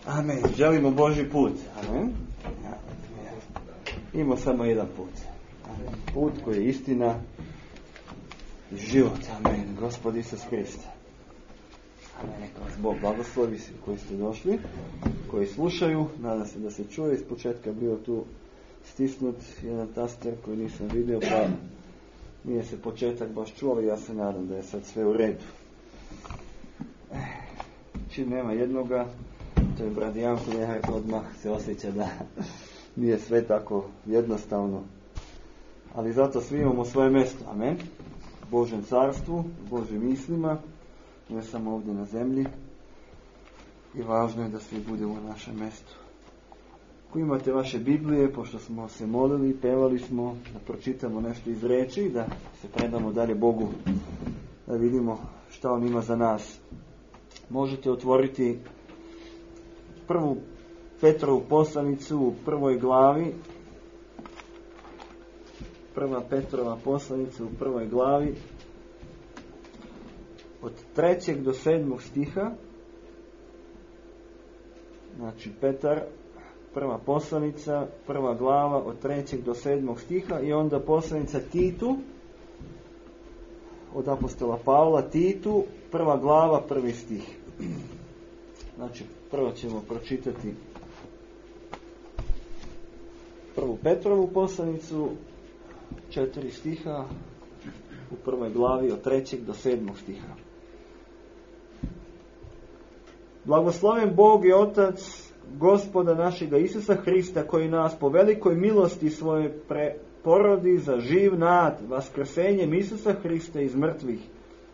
Amen. Želimo Božji put. Amen. Imamo samo jedan put. Amen. Put koji je istina i život. Amen. Gospod Isus Hrist. Amen. Neka vas Bog blagoslovi svi koji ste došli, koji slušaju. Nadam se da se čuje. Iz početka bio tu stisnut jedan taster koji nisam vidio, pa nije se početak baš čuo, ali ja se nadam da je sad sve u redu. Čim nema jednoga, to je brat Janko Nehart, odmah se osjeća da nije sve tako jednostavno. Ali zato svi imamo svoje mjesto. Amen. U Božjem carstvu, u Božjim mislima, ne samo ovdje na zemlji. I važno je da svi budemo na našem mjestu. Ako imate vaše Biblije, pošto smo se molili, pevali smo, da pročitamo nešto iz riječi, da se predamo dalje Bogu, da vidimo šta On ima za nas. Možete otvoriti prvu Petrovu poslanicu u prvoj glavi. Prva Petrova poslanica u prvoj glavi od 3. do 7. stiha. Znači Petar, prva poslanica, prva glava od 3. do 7. stiha i onda poslanica Titu od apostola Pavla Titu, prva glava, prvi stih. Znači, prvo ćemo pročitati prvu Petrovu poslanicu, 4 stiha u prvoj glavi od 3. do 7. stiha. Blagosloven Bog i Otac Gospoda našega Isusa Hrista, koji nas po velikoj milosti svoje porodi za živ nad vaskrsenjem Isusa Hrista iz mrtvih,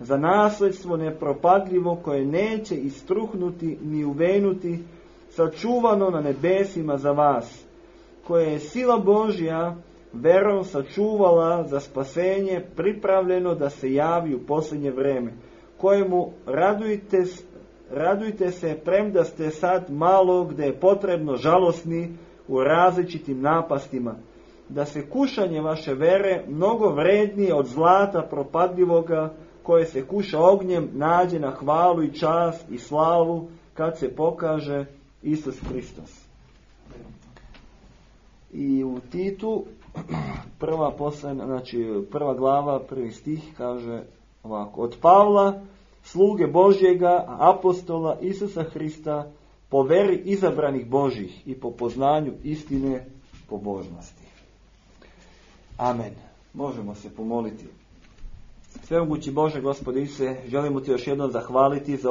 za nasledstvo nepropadljivo koje neće istruhnuti ni uvenuti, sačuvano na nebesima za vas, koje je sila Božja verom sačuvala za spasenje pripravljeno da se javi u posljednje vreme, kojemu radujte se premda ste sad malo gdje je potrebno žalosni u različitim napastima, da se kušanje vaše vere mnogo vrednije od zlata propadljivoga koje se kuša ognjem nađe na hvalu i čast i slavu kad se pokaže Isus Hristos. I u Titu prva glava, prvi stih kaže ovako: od Pavla, sluge Božjega, apostola Isusa Hrista, po veri izabranih Božjih i po poznanju istine pobožnosti. Amen. Možemo se pomoliti. Svemogući Bože, Gospode Isuse, želimo Ti još jednom zahvaliti za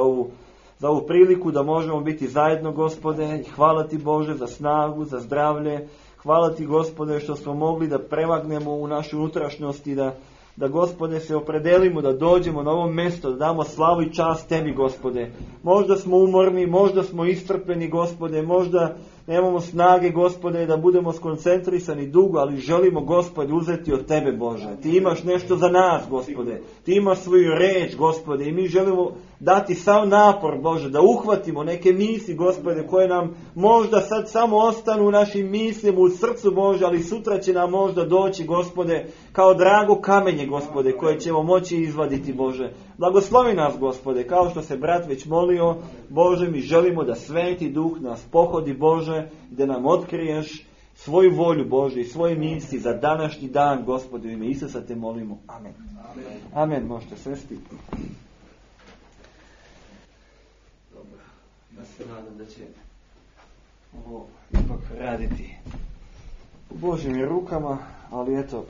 ovu priliku da možemo biti zajedno, Gospode. Hvala Ti, Bože, za snagu, za zdravlje. Hvala Ti, Gospode, što smo mogli da prevagnemo u našu unutrašnjost i da, Gospode, se opredelimo da dođemo na ovo mjesto, da damo slavu i čast Tebi, Gospode. Možda smo umorni, možda smo iscrpljeni, Gospode, možda nemamo snage, Gospode, da budemo skoncentrisani dugo, ali želimo, Gospode, uzeti od Tebe, Bože. Ti imaš nešto za nas, Gospode. Ti imaš svoju reč, Gospode, i mi želimo dati sav napor, Bože, da uhvatimo neke misli, Gospode, koje nam možda sad samo ostanu u našim mislima, u srcu, Bože, ali sutra će nam možda doći, Gospode, kao drago kamenje, Gospode, koje ćemo moći izvaditi, Bože. Blagoslovi nas, Gospode, kao što se brat već molio, Bože, mi želimo da Sveti Duh nas pohodi, Bože, da nam otkriješ svoju volju, Bože, i svoje misli za današnji dan, Gospode, u ime Isusa te molimo. Amen. Amen. Amen. Možete svesti. Dobro. Ja se nadam da će ovo ipak raditi u Božjim rukama, ali eto,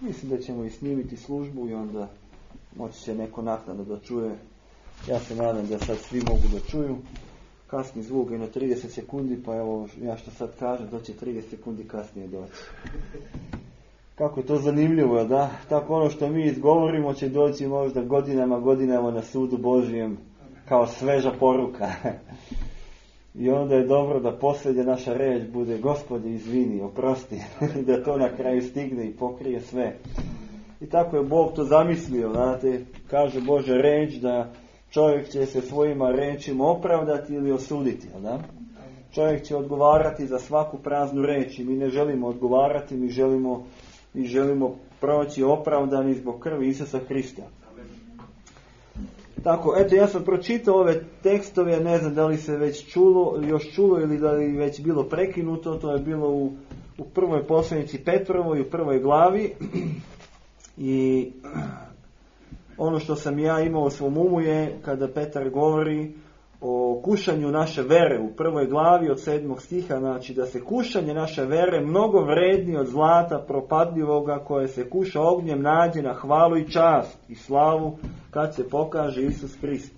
mislim da ćemo i snimiti službu i onda moći će neko naknadno da čuje. Ja se nadam da sad svi mogu da čuju. Kasni zvuk je na 30 sekundi, pa evo ja što sad kažem, to će 30 sekundi kasnije doći. Kako je to zanimljivo, da? Tako ono što mi izgovorimo će doći možda godinama na sudu Božjem kao sveža poruka. I onda je dobro da posljednja naša reč bude: Gospodi, izvini, oprosti, da to na kraju stigne i pokrije sve. I tako je Bog to zamislio, znate, kaže Božja reč da čovjek će se svojima rečima opravdati ili osuditi, da? Čovjek će odgovarati za svaku praznu reč i mi ne želimo odgovarati, mi želimo proći opravdani zbog krvi Isusa Hrista. Tako, eto, ja sam pročitao ove tekstove, ne znam da li se već još čulo ili da li već bilo prekinuto, to je bilo u prvoj poslanici Petrovoj, u prvoj glavi. I ono što sam ja imao u svom umu je kada Petar govori o kušanju naše vere u prvoj glavi od 7. stiha, znači da se kušanje naše vere mnogo vrednije od zlata propadljivoga koje se kuša ognjem nađe na hvalu i čast i slavu kad se pokaže Isus Hrist.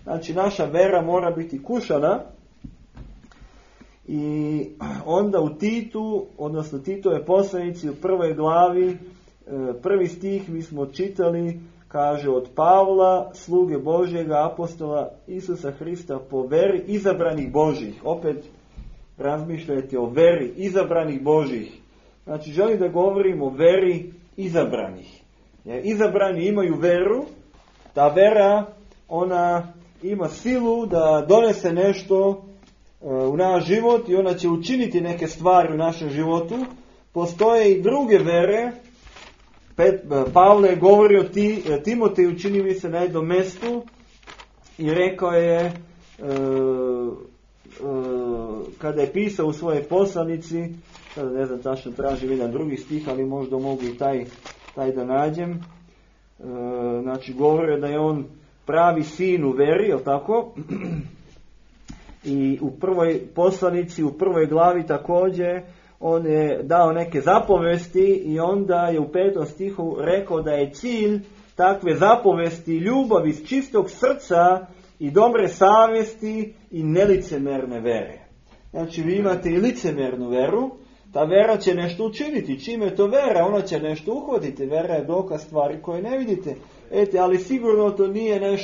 Znači naša vera mora biti kušana i onda u Titu, odnosno Titove poslanici u prvoj glavi, prvi stih mi smo čitali, kaže od Pavla, sluge Božjega, apostola Isusa Hrista po veri izabranih Božjih. Opet razmišljajte o veri izabranih Božjih. Znači želim da govorim o veri izabranih. Jer izabrani imaju veru, ta vera, ona ima silu da donese nešto u naš život i ona će učiniti neke stvari u našem životu. Postoje i druge vere. Pavle je govorio Timoteju, čini mi se na jednom mjestu, i rekao je, kada je pisao u svojoj poslanici, sada ne znam tačno tražim jedan drugi stih, ali možda mogu i taj da nađem, znači govorio da je on pravi sin u veri, jel tako? I u prvoj poslanici, u prvoj glavi također, on je dao neke zapovesti i onda je u 5. stihu rekao da je cilj takve zapovesti ljubav iz čistog srca i dobre savjesti i nelicemerne vere. Znači vi imate i licemernu veru, ta vera će nešto učiniti. Čime je to vera? Ona će nešto uhvatiti. Vera je dokaz stvari koje ne vidite. Ali sigurno to nije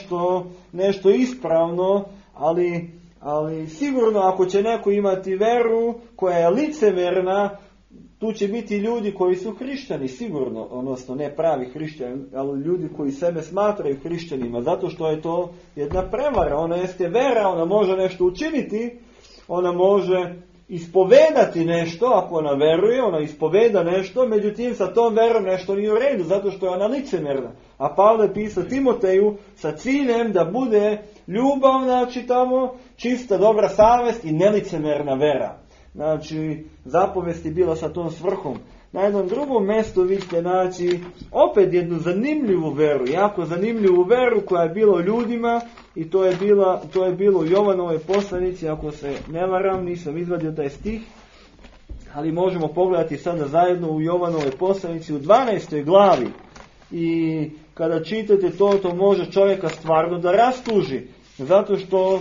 nešto ispravno, ali sigurno ako će neko imati veru koja je licemerna, tu će biti ljudi koji su hrišćani, sigurno, odnosno ne pravi hrišćani, ali ljudi koji sebe smatraju hrišćanima, zato što je to jedna prevara. Ona jeste vera, ona može nešto učiniti, ona može ispovedati nešto, ako ona veruje, ona ispoveda nešto, međutim sa tom verom nešto nije u redu, zato što je ona licemerna. A Pavle pisao Timoteju sa ciljem da bude ljubav, znači tamo, čista dobra savjest i nelicemerna vera. Znači, zapovest je bila sa tom svrhom. Na jednom drugom mjestu vi ćete naći opet jednu zanimljivu veru, jako zanimljivu veru koja je bila u ljudima, i to je bilo u Jovanovoj poslanici, ako se ne varam, nisam izvadio taj stih, ali možemo pogledati sada zajedno u Jovanovoj poslanici u 12. glavi. I kada čitate to može čovjeka stvarno da rastuži, zato što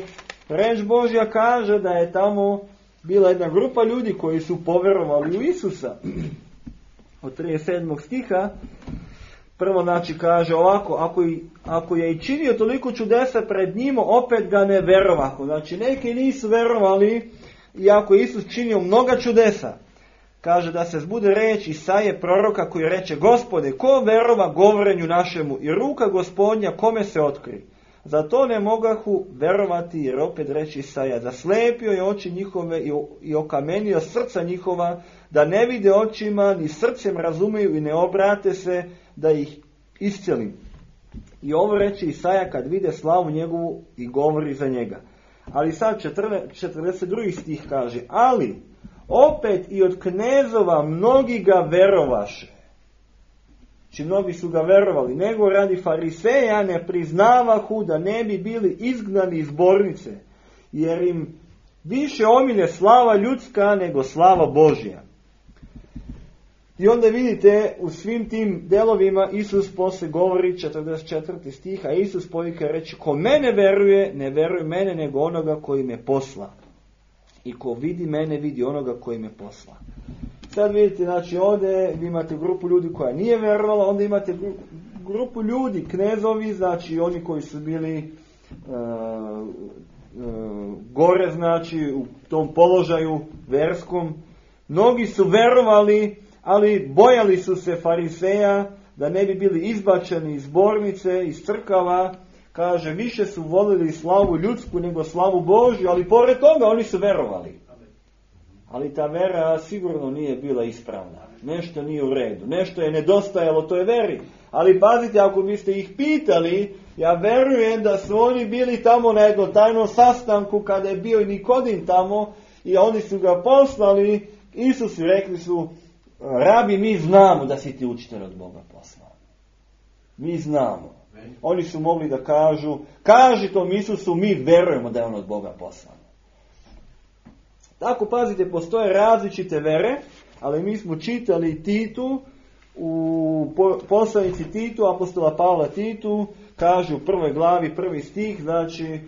reč Božja kaže da je tamo bila jedna grupa ljudi koji su povjerovali u Isusa. Od 37. stiha, prvo znači kaže ovako, ako je i činio toliko čudesa pred njima, opet ga ne verovahu. Znači neki nisu verovali, iako je Isus činio mnoga čudesa. Kaže da se zbude reč Isaije proroka koji reče: Gospode, ko verova govorenju našemu i ruka Gospodnja kome se otkri? Zato ne mogahu verovati, jer opet reči Isaija: zaslepio je oči njihove i okamenio srca njihova, da ne vide očima, ni srcem razumiju i ne obrate se da ih iscelim. I ovo reči Isaija kad vide slavu njegovu i govori za njega. Ali sad 42. stih kaže: ali opet i od knezova mnogi ga verovaše. Či mnogi su ga verovali, nego radi fariseja ne priznavahu da ne bi bili izgnani iz zbornice, jer im više omilje slava ljudska nego slava Božja. I onda vidite u svim tim delovima Isus posle govori 44. stiha, Isus povika reći: ko mene veruje, ne veruje mene nego onoga koji me posla. I ko vidi mene, vidi onoga koji me posla. Sad vidite, znači ovdje vi imate grupu ljudi koja nije vjerovala, onda imate grupu ljudi, knezovi, znači oni koji su bili gore, znači u tom položaju verskom. Mnogi su verovali, ali bojali su se fariseja da ne bi bili izbačeni iz zbornice, iz crkava. Kaže, više su volili slavu ljudsku nego slavu Božju, ali pored toga oni su verovali. Ali ta vera sigurno nije bila ispravna. Nešto nije u redu. Nešto je nedostajalo toj veri. Ali pazite, ako biste ih pitali, ja verujem da su oni bili tamo na jednom tajnom sastanku kada je bio i Nikodim tamo i oni su ga poslali. Isus i rekli su, rabi, mi znamo da si ti učitelj od Boga poslan. Mi znamo. Oni su mogli da kažu, kaži tom Isusu, mi verujemo da je on od Boga poslan. Tako, pazite, postoje različite vere, ali mi smo čitali Titu, u poslanici Titu, apostola Pavla Titu, kaže u 1. glavi, 1. stih, znači,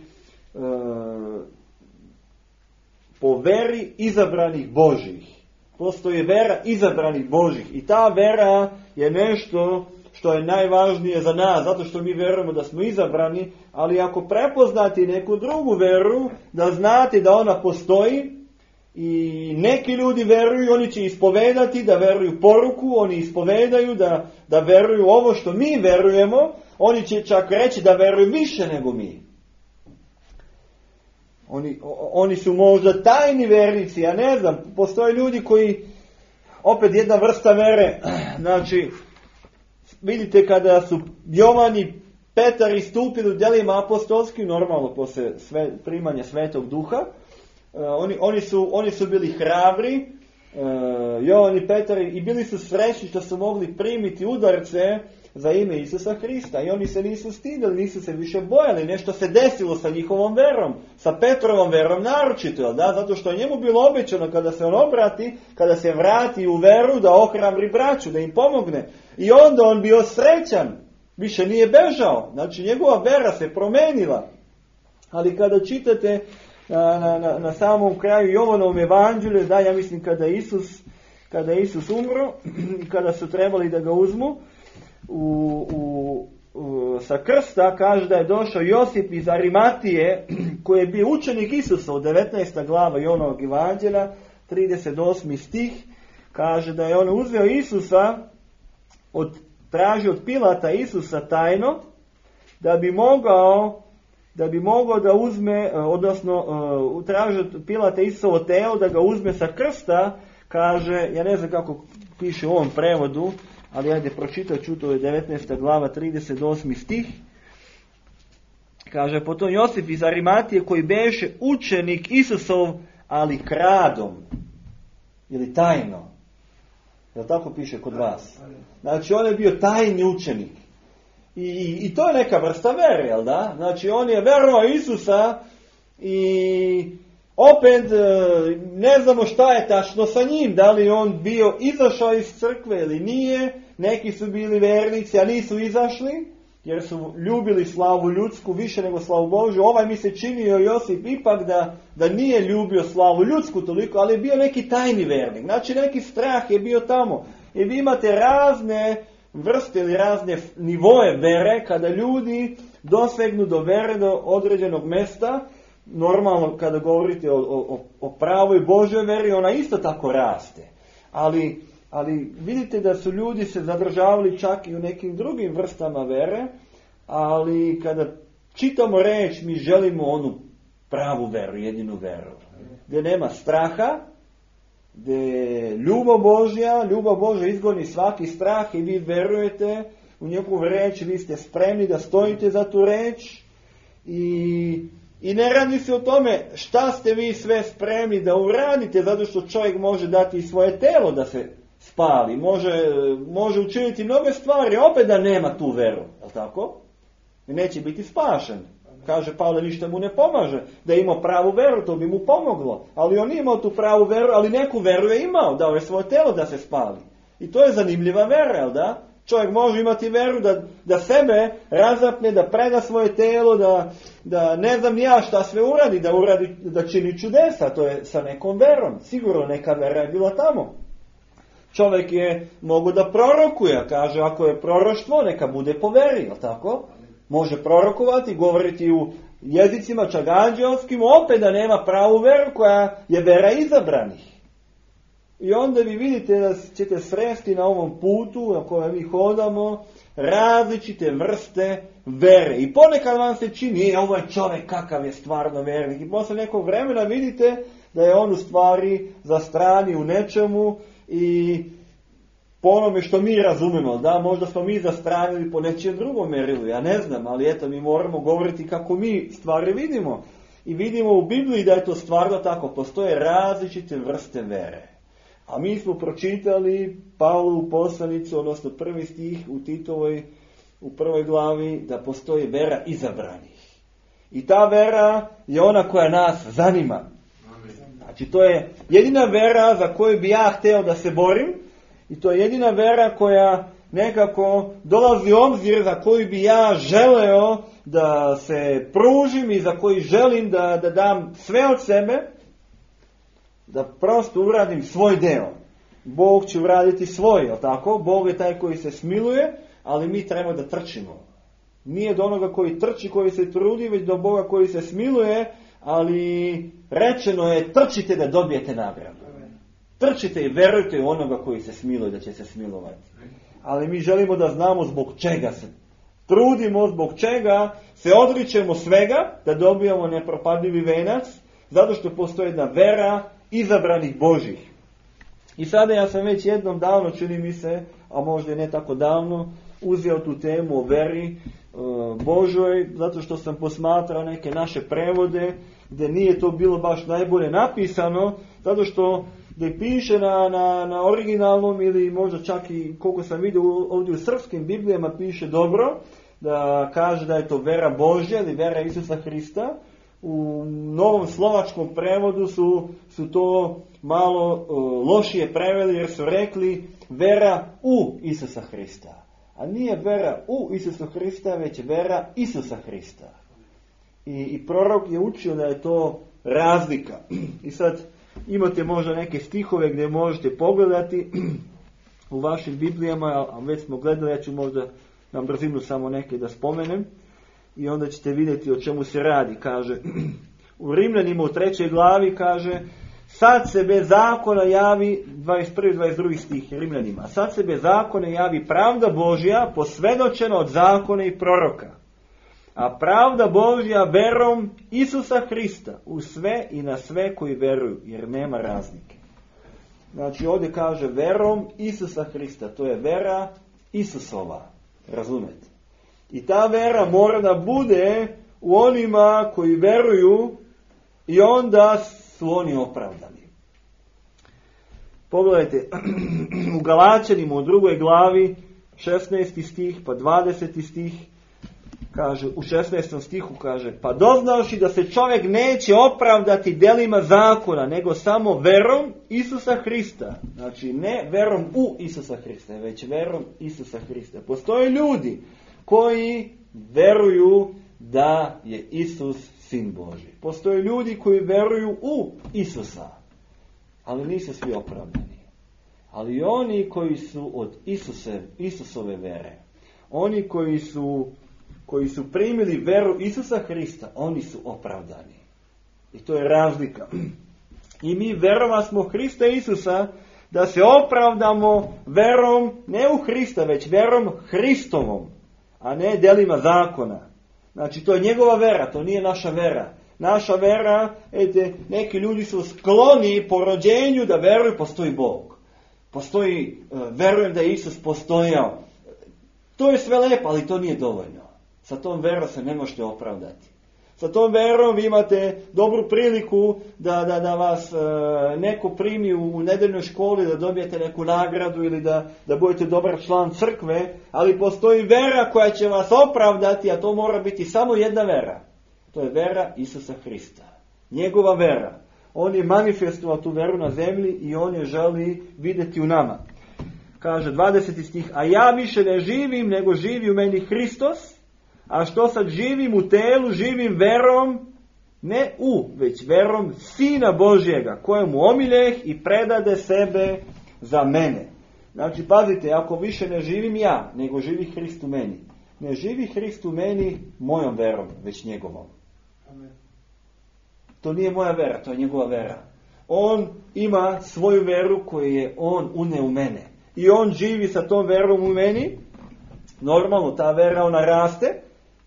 po veri izabranih Božih. Postoji vera izabranih Božih. I ta vera je nešto što je najvažnije za nas, zato što mi verujemo da smo izabrani, ali ako prepoznate neku drugu veru, da znate da ona postoji, i neki ljudi veruju, oni će ispovedati da veruju poruku, oni ispovedaju da veruju ovo što mi verujemo, oni će čak reći da veruju više nego mi. Oni su možda tajni vernici, ja ne znam, postoje ljudi koji, opet jedna vrsta vere, znači, vidite kada su Jovan i Petar istupili u djelima apostolskim, normalno posle primanja Svetog Duha, oni su bili hrabri, Jovan i Petar, i bili su srećni što su mogli primiti udarce za ime Isusa Hrista. I oni se nisu stidili, nisu se više bojali. Nešto se desilo sa njihovom verom, sa Petrovom verom naročito, da? Zato što je njemu bilo obećano kada se on obrati, kada se vrati u veru, da ohrabri braću, da im pomogne. I onda on bio srećan, više nije bežao. Znači njegova vera se promenila. Ali kada čitate na samom kraju Jovanovom evanđelju, da, ja mislim kada je Isus umro i kada su trebali da ga uzmu sa krsta, kaže da je došao Josip iz Arimatije, koji je bio učenik Isusa, u 19. glava Jovanovog evanđelja, 38. stih, kaže da je on uzeo Isusa, tražio od Pilata Isusa tajno, da bi mogao da uzme, odnosno traži od Pilata Isusovo telo da ga uzme sa krsta, kaže, ja ne znam kako piše u ovom prevodu, ali ajde pročitat ću, to je 19. glava, 38. stih. Kaže, potom Josip iz Arimatije, koji beše učenik Isusov, ali kradom, ili tajno. Jel tako piše kod vas? Znači, on je bio tajni učenik. I to je neka vrsta vere, jel da? Znači, on je verovao Isusa i opet ne znamo šta je tačno sa njim. Da li on bio izašao iz crkve ili nije. Neki su bili vernici, a nisu izašli, jer su ljubili slavu ljudsku više nego slavu Božju. Ovaj mi se činio Josip ipak da nije ljubio slavu ljudsku toliko, ali je bio neki tajni vernik. Znači, neki strah je bio tamo. I vi imate razne vrste ili razne nivoje vere, kada ljudi dosegnu do vere do određenog mesta. Normalno, kada govorite o pravoj Božoj veri, ona isto tako raste. Ali vidite da su ljudi se zadržavali čak i u nekim drugim vrstama vere, ali kada čitamo reč, mi želimo onu pravu veru, jedinu veru. Gdje nema straha, gdje je ljubav Božja izgoni svaki strah i vi verujete u njegovu reč, vi ste spremni da stojite za tu reč i ne radi se o tome šta ste vi sve spremni da uradite, zato što čovjek može dati i svoje telo da se spali, može učiniti mnoge stvari, opet da nema tu veru, je li tako? I neće biti spašen. Kaže Pavle, ništa mu ne pomaže. Da je imao pravu veru, to bi mu pomoglo. Ali on nije imao tu pravu veru, ali neku veru je imao, dao je svoje telo da se spali. I to je zanimljiva vera, jel da? Čovjek može imati veru da sebe razapne, da preda svoje telo, da ne znam ja šta sve uradi, da čini čudesa. To je sa nekom verom. Sigurno neka vera je bila tamo. Čovjek je mogu da prorokuje, kaže ako je proroštvo, neka bude po veri, jel tako? Može prorokovati, govoriti u jezicima čak anđelskim, opet da nema pravu veru koja je vera izabranih. I onda vi vidite da ćete sresti na ovom putu na kojem mi hodamo različite vrste vere. I ponekad vam se čini, ovaj čovjek kakav je stvarno vernik. I posle nekog vremena vidite da je on u stvari zastrani u nečemu i po onome što mi razumemo. Da, možda smo mi zastranili po nečijem drugom merilu, ja ne znam, ali eto, mi moramo govoriti kako mi stvari vidimo. I vidimo u Bibliji da je to stvarno tako. Postoje različite vrste vere. A mi smo pročitali Pavlovu poslanicu, odnosno 1. stih u Titovoj, u 1. glavi, da postoji vera izabranih. I ta vera je ona koja nas zanima. Znači, to je jedina vera za koju bi ja hteo da se borim, i to je jedina vera koja nekako dolazi u obzir, za koju bi ja želeo da se pružim i za koju želim da dam sve od sebe, da prosto uradim svoj deo. Bog će uraditi svoj, jel tako? Bog je taj koji se smiluje, ali mi treba da trčimo. Nije do onoga koji trči, koji se trudi, već do Boga koji se smiluje, ali rečeno je trčite da dobijete nagradu. Trčite i verujte u onoga koji se smiluje, da će se smilovati. Ali mi želimo da znamo zbog čega se trudimo, zbog čega se odričemo svega, da dobijamo nepropadljivi venac, zato što postoji jedna vera izabranih Božih. I sada ja sam već jednom davno, čini mi se, a možda i ne tako davno, uzeo tu temu o veri Božoj, zato što sam posmatrao neke naše prevode, gdje nije to bilo baš najbolje napisano, zato što gdje piše na originalnom, ili možda čak i koliko sam vidio ovdje u srpskim Biblijama piše dobro, da kaže da je to vera Božja ili vera Isusa Hrista. U novom slovačkom prevodu su to malo lošije preveli, jer su rekli vera u Isusa Hrista. A nije vera u Isusa Hrista, već vera Isusa Hrista. I prorok je učio da je to razlika. I sad imate možda neke stihove gdje možete pogledati u vašim Biblijama, a već smo gledali, ja ću možda na brzinu samo neke da spomenem. I onda ćete vidjeti o čemu se radi. Kaže, u Rimljanima u 3. glavi kaže, sad se bez zakona javi, 21. i 22. stih Rimljanima, sad se bez zakona javi pravda Božja posvjedočena od zakona i proroka. A pravda Božja verom Isusa Hrista u sve i na sve koji veruju, jer nema razlike. Znači ovdje kaže verom Isusa Hrista, to je vera Isusova, razumete? I ta vera mora da bude u onima koji veruju i onda su oni opravdani. Pogledajte, u Galačanima u 2. glavi 16. stih pa 20. stih kaže, u 16. stihu kaže, pa doznavši da se čovjek neće opravdati delima zakona, nego samo verom Isusa Hrista. Znači ne verom u Isusa Hrista, već verom Isusa Hrista. Postoje ljudi koji veruju da je Isus Sin Božji. Postoje ljudi koji veruju u Isusa, ali nisu svi opravdani. Ali oni koji su od Isusove vere, oni koji su primili veru Isusa Hrista, oni su opravdani. I to je razlika. I mi verova smo Hrista Isusa da se opravdamo verom ne u Hrista, već verom Hristovom, a ne delima zakona. Znači to je njegova vera, to nije naša vera. Naša vera, neki ljudi su skloni po rođenju da veruju postoji Bog. Verujem da je Isus postojao. To je sve lepo, ali to nije dovoljno. Sa tom verom se ne možete opravdati. Sa tom verom vi imate dobru priliku da vas neko primi u nedeljnoj školi, da dobijete neku nagradu ili da budete dobar član crkve, ali postoji vera koja će vas opravdati, a to mora biti samo jedna vera. To je vera Isusa Hrista. Njegova vera. On je manifestovao tu veru na zemlji i on je želi vidjeti u nama. Kaže 20. stih, a ja više ne živim, nego živi u meni Hristos, a što sad živim u telu, živim verom, ne već verom Sina Božjega, kojemu omiljeh i predade sebe za mene. Znači, pazite, ako više ne živim ja, nego živi Hrist u meni. Ne živi Hrist u meni mojom verom, već njegovom. Amen. To nije moja vera, to je njegova vera. On ima svoju veru koju je on uneo u mene. I on živi sa tom verom u meni. Normalno, ta vera ona raste.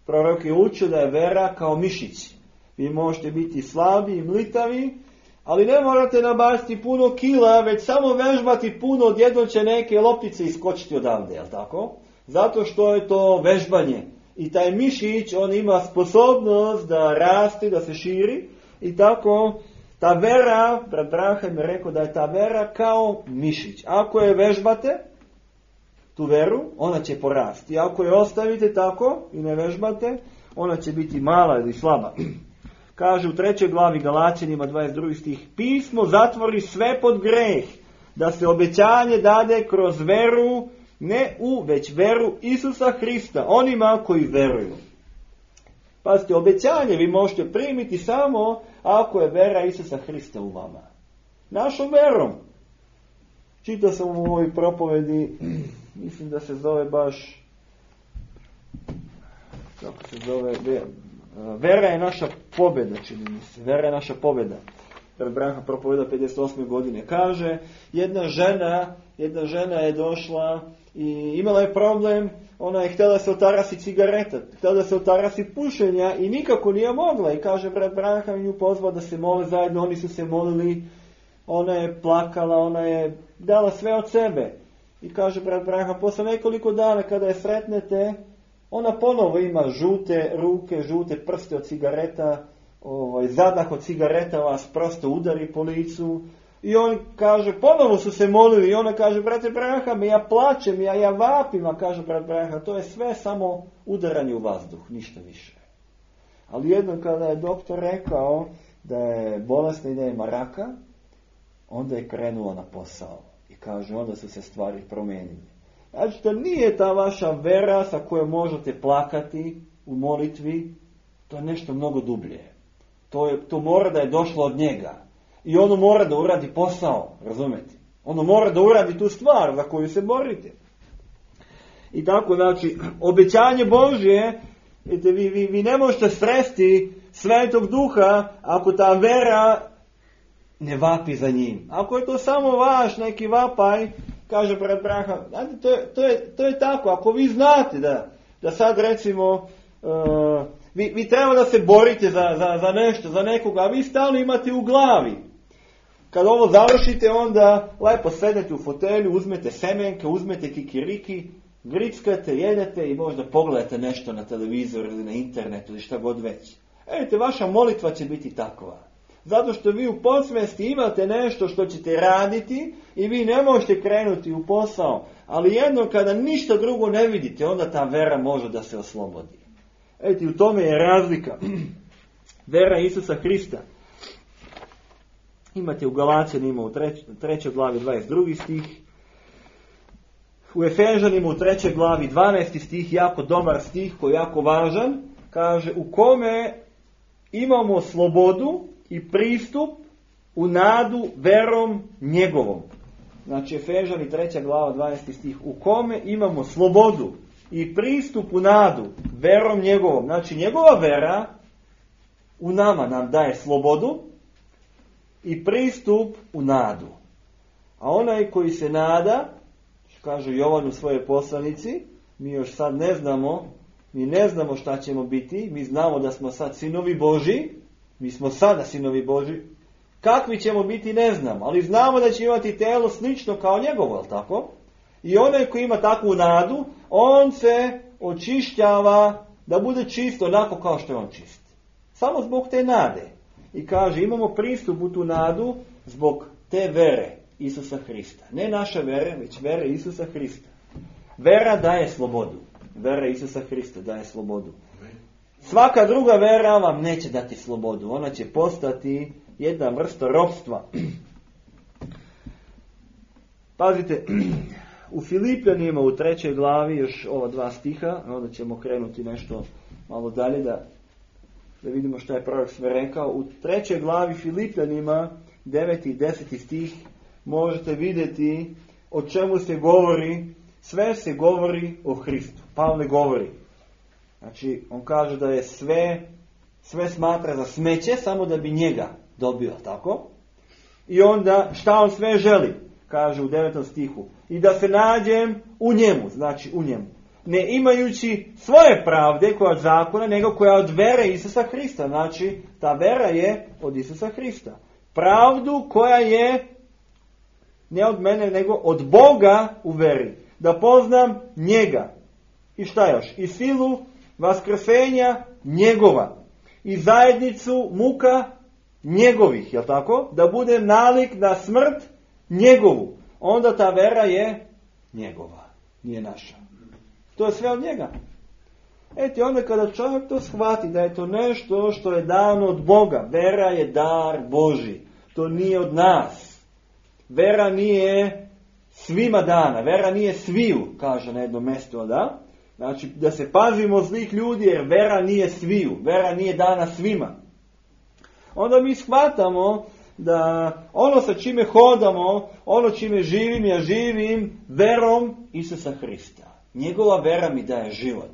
Prorok je učio da je vera kao mišić. Vi možete biti slabi i mlitavi, Ali ne morate nabaciti puno kila, već samo vežbati puno, odjednom će neke loptice iskočiti odavde, jel tako? Zato što je to vežbanje. I taj mišić, on ima sposobnost da raste, da se širi. I tako, ta vera, brat Branham je rekao da je ta vera kao mišić. Ako je vežbate, tu veru, ona će porasti. Ako je ostavite tako i ne vežbate, ona će biti mala ili slaba. Kaže u 3. glavi Galaćanima 22. stih, pismo zatvori sve pod greh, da se obećanje dade kroz veru, ne u već veru Isusa Hrista, onima koji veruju. Pazite, obećanje vi možete primiti samo ako je vera Isusa Hrista u vama. Našom verom. Čitao sam u ovoj propovedi, mislim da se zove baš, kako se zove, vera je naša pobjeda, čini mi se. Vera je naša pobjeda. Branham propoveda 58. godine. Kaže, jedna žena je došla i imala je problem, ona je htjela se otarasi cigareta, htjela da se otarasi pušenja i nikako nije mogla. I kaže, brat Branham nju pozvao da se mole zajedno, oni su se molili, ona je plakala, ona je dala sve od sebe. I kaže, brat Branham, posle nekoliko dana kada je sretnete, ona ponovo ima žute ruke, žute prste od cigareta, zadah od cigareta vas prosto udari po licu. I on kaže, ponovo su se molili i ona kaže, brate Branham, ja plačem, ja vapim, a kaže brat Branham, to je sve samo udaranje u vazduh, ništa više. Ali jednom kada je doktor rekao da je bolesna i da ima raka, onda je krenula na posao. I kaže, onda su se stvari promijenile. Znači, to nije ta vaša vera sa kojom možete plakati u molitvi, to je nešto mnogo dublje. To mora da je došlo od njega. I ono mora da uradi posao, razumete? Ono mora da uradi tu stvar za koju se borite. I tako, znači, obećanje Božje, vi ne možete sresti Svetog Duha ako ta vera ne vapi za njim. Ako je to samo vaš neki vapaj, kaže brat Branham, to je tako, ako vi znate da sad recimo, vi treba da se borite za nešto, za nekoga, a vi stalno imate u glavi. Kad ovo završite, onda lepo sedete u fotelju, uzmete semenke, uzmete kikiriki, grickate, jedete i možda pogledate nešto na televizoru ili na internetu ili šta god već. Vidite, vaša molitva će biti takva. Zato što vi u podsvesti imate nešto što ćete raditi i vi ne možete krenuti u posao. Ali jednom kada ništa drugo ne vidite, onda ta vera može da se oslobodi. Vidite, u tome je razlika. Vera Isusa Hrista. Imate u Galaćanima u 3. glavi 22. stih. U Efežanima u 3. glavi 12. stih, jako dobar stih koji je jako važan. Kaže, u kome imamo slobodu i pristup u nadu verom njegovom. Znači Efežani 3. glava 12. stih. U kome imamo slobodu i pristup u nadu verom njegovom. Znači njegova vera u nama nam daje slobodu i pristup u nadu. A onaj koji se nada, kaže Jovan u svojoj poslanici, mi još sad ne znamo šta ćemo biti, mi znamo da smo sad sinovi Božji, mi smo sada sinovi Božji, kakvi ćemo biti ne znamo, ali znamo da će imati telo slično kao njegovo, je li tako? I onaj koji ima takvu nadu, on se očišćava da bude čist onako kao što je on čist. Samo zbog te nade. I kaže, imamo pristup u tu nadu zbog te vere Isusa Hrista. Ne naša vere, već vere Isusa Hrista. Vera daje slobodu. Vera Isusa Hrista daje slobodu. Svaka druga vera vam neće dati slobodu. Ona će postati jedna vrsta ropstva. Pazite, u Filipljanima u 3. glavi, još ova 2 stiha, onda ćemo krenuti nešto malo dalje da vidimo što je prorok sve rekao. U 3. glavi Filipljanima, 9. i 10. stih, možete vidjeti o čemu se govori. Sve se govori o Hristu. Pavle govori. Znači, on kaže da je sve smatra za smeće, samo da bi njega dobio, tako? I onda, šta on sve želi? Kaže u 9. stihu. I da se nađem u njemu, znači u njemu. Ne imajući svoje pravde koja od zakona, nego koja od vere Isusa Hrista. Znači, ta vera je od Isusa Hrista. pravdu koja je ne od mene, nego od Boga u veri. Da poznam njega. I šta još? I silu vaskrsenja njegova. I zajednicu muka njegovih, jel tako? Da budem nalik na smrt njegovu. Onda ta vera je njegova, nije naša. To je sve od njega. Eto, onda kada čovjek to shvati da je to nešto što je dano od Boga, vera je dar Božji. To nije od nas. Vera nije svima dana, vera nije sviju, kaže na jednom mjestu, da? Znači, da se pazimo zlih ljudi, jer vera nije sviju, vera nije dana svima. Onda mi shvatamo da ono sa čime hodamo, ono čime živim, ja živim verom Isusa Hrista. Njegova vera mi daje život.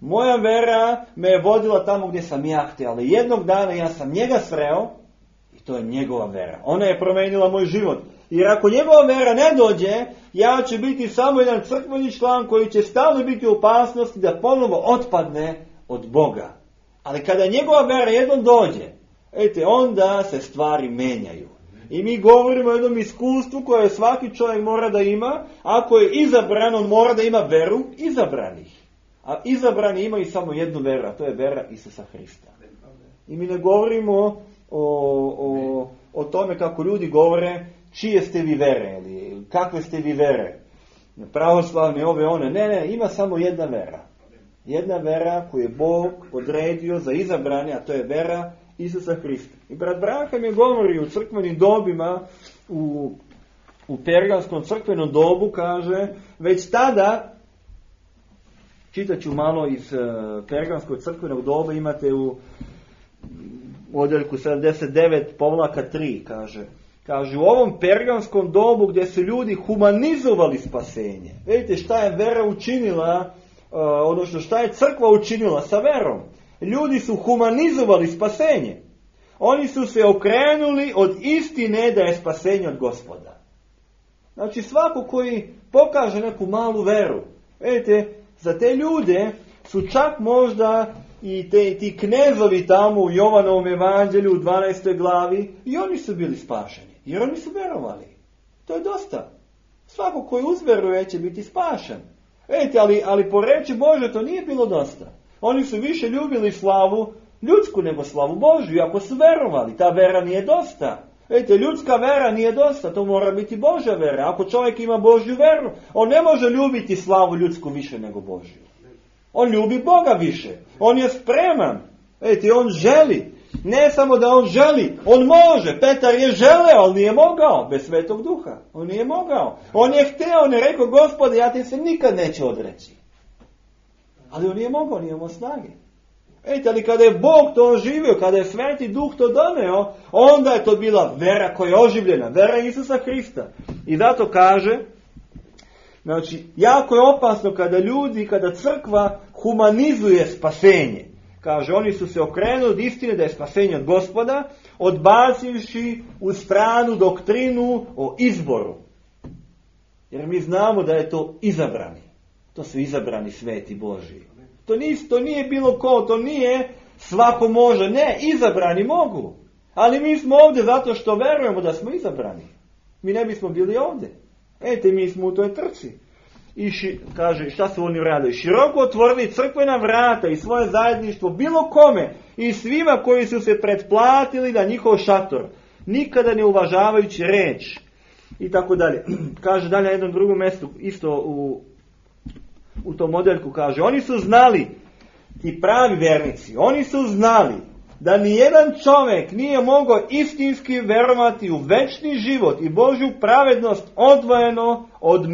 Moja vera me je vodila tamo gdje sam ja htio, ali jednog dana ja sam njega sreo i to je njegova vera. Ona je promijenila moj život. Jer ako njegova vera ne dođe, ja ću biti samo jedan crkveni član koji će stalno biti u opasnosti da ponovo otpadne od Boga. Ali kada njegova vera jednom dođe, onda se stvari menjaju. I mi govorimo o jednom iskustvu koje svaki čovjek mora da ima. Ako je izabran, on mora da ima veru izabranih. A izabrani imaju samo jednu veru, a to je vera Isusa Hrista. I mi ne govorimo o tome kako ljudi govore čije ste vi vere, ili kakve ste vi vere, pravoslavne, ove, one. Ne, ima samo jedna vera. Jedna vera koju je Bog odredio za izabrane, a to je vera Isusa Hrista. I brat Branham je govori u crkvenim dobima, u pergamskom crkvenom dobu, kaže, već tada, čitat ću malo iz pergamskog crkvenog doba, imate u odjeljku 79:3, kaže, u ovom pergamskom dobu gdje su ljudi humanizovali spasenje. Vidite šta je vera učinila, odnosno šta je crkva učinila sa verom. Ljudi su humanizovali spasenje. Oni su se okrenuli od istine da je spasenje od Gospoda. Znači svako koji pokaže neku malu veru, vidite, za te ljude su čak možda i ti knezovi tamo u Jovanovom evanđelju u 12. glavi, i oni su bili spašeni, jer oni su verovali. To je dosta. Svako koji uzveruje će biti spašen. Vidite, ali po reči Bože to nije bilo dosta. Oni su više ljubili slavu ljudsku nego slavu Božju, ako su verovali. Ta vera nije dosta. Vidite, ljudska vera nije dosta, to mora biti Božja vera. Ako čovjek ima Božju veru, on ne može ljubiti slavu ljudsku više nego Božju. On ljubi Boga više. On je spreman. Vidite, on želi. Ne samo da on želi, on može. Petar je želeo, ali nije mogao. Bez Svetog Duha. On nije mogao. On je hteo, on je rekao, Gospode, ja ti se nikad neću odreći. Ali on nije mogao, nije imao snage. Ali kada je Bog to oživio, kada je Sveti Duh to doneo, onda je to bila vera koja je oživljena. Vera Isusa Hrista. I zato kaže, znači, jako je opasno kada crkva humanizuje spasenje. Kaže, oni su se okrenuli od istine da je spasenje od Gospoda, odbacivši u stranu doktrinu o izboru. Jer mi znamo da je to izabrani. To su izabrani sveti Božji. To nije bilo ko, to nije svako može. Ne, izabrani mogu. Ali mi smo ovdje zato što verujemo da smo izabrani. Mi ne bismo bili ovdje. Mi smo u toj trci. I kaže, šta su oni radili? Široko otvorili crkvena vrata i svoje zajedništvo bilo kome i svima koji su se pretplatili na njihov šator, nikada ne uvažavajući reč. I tako dalje. Kaže dalje na jednom drugom mjestu, isto u tom modeljku, kaže, oni su znali, ti pravi vernici, oni su znali da nijedan čovjek nije mogao istinski verovati u večni život i Božju pravednost odvojeno od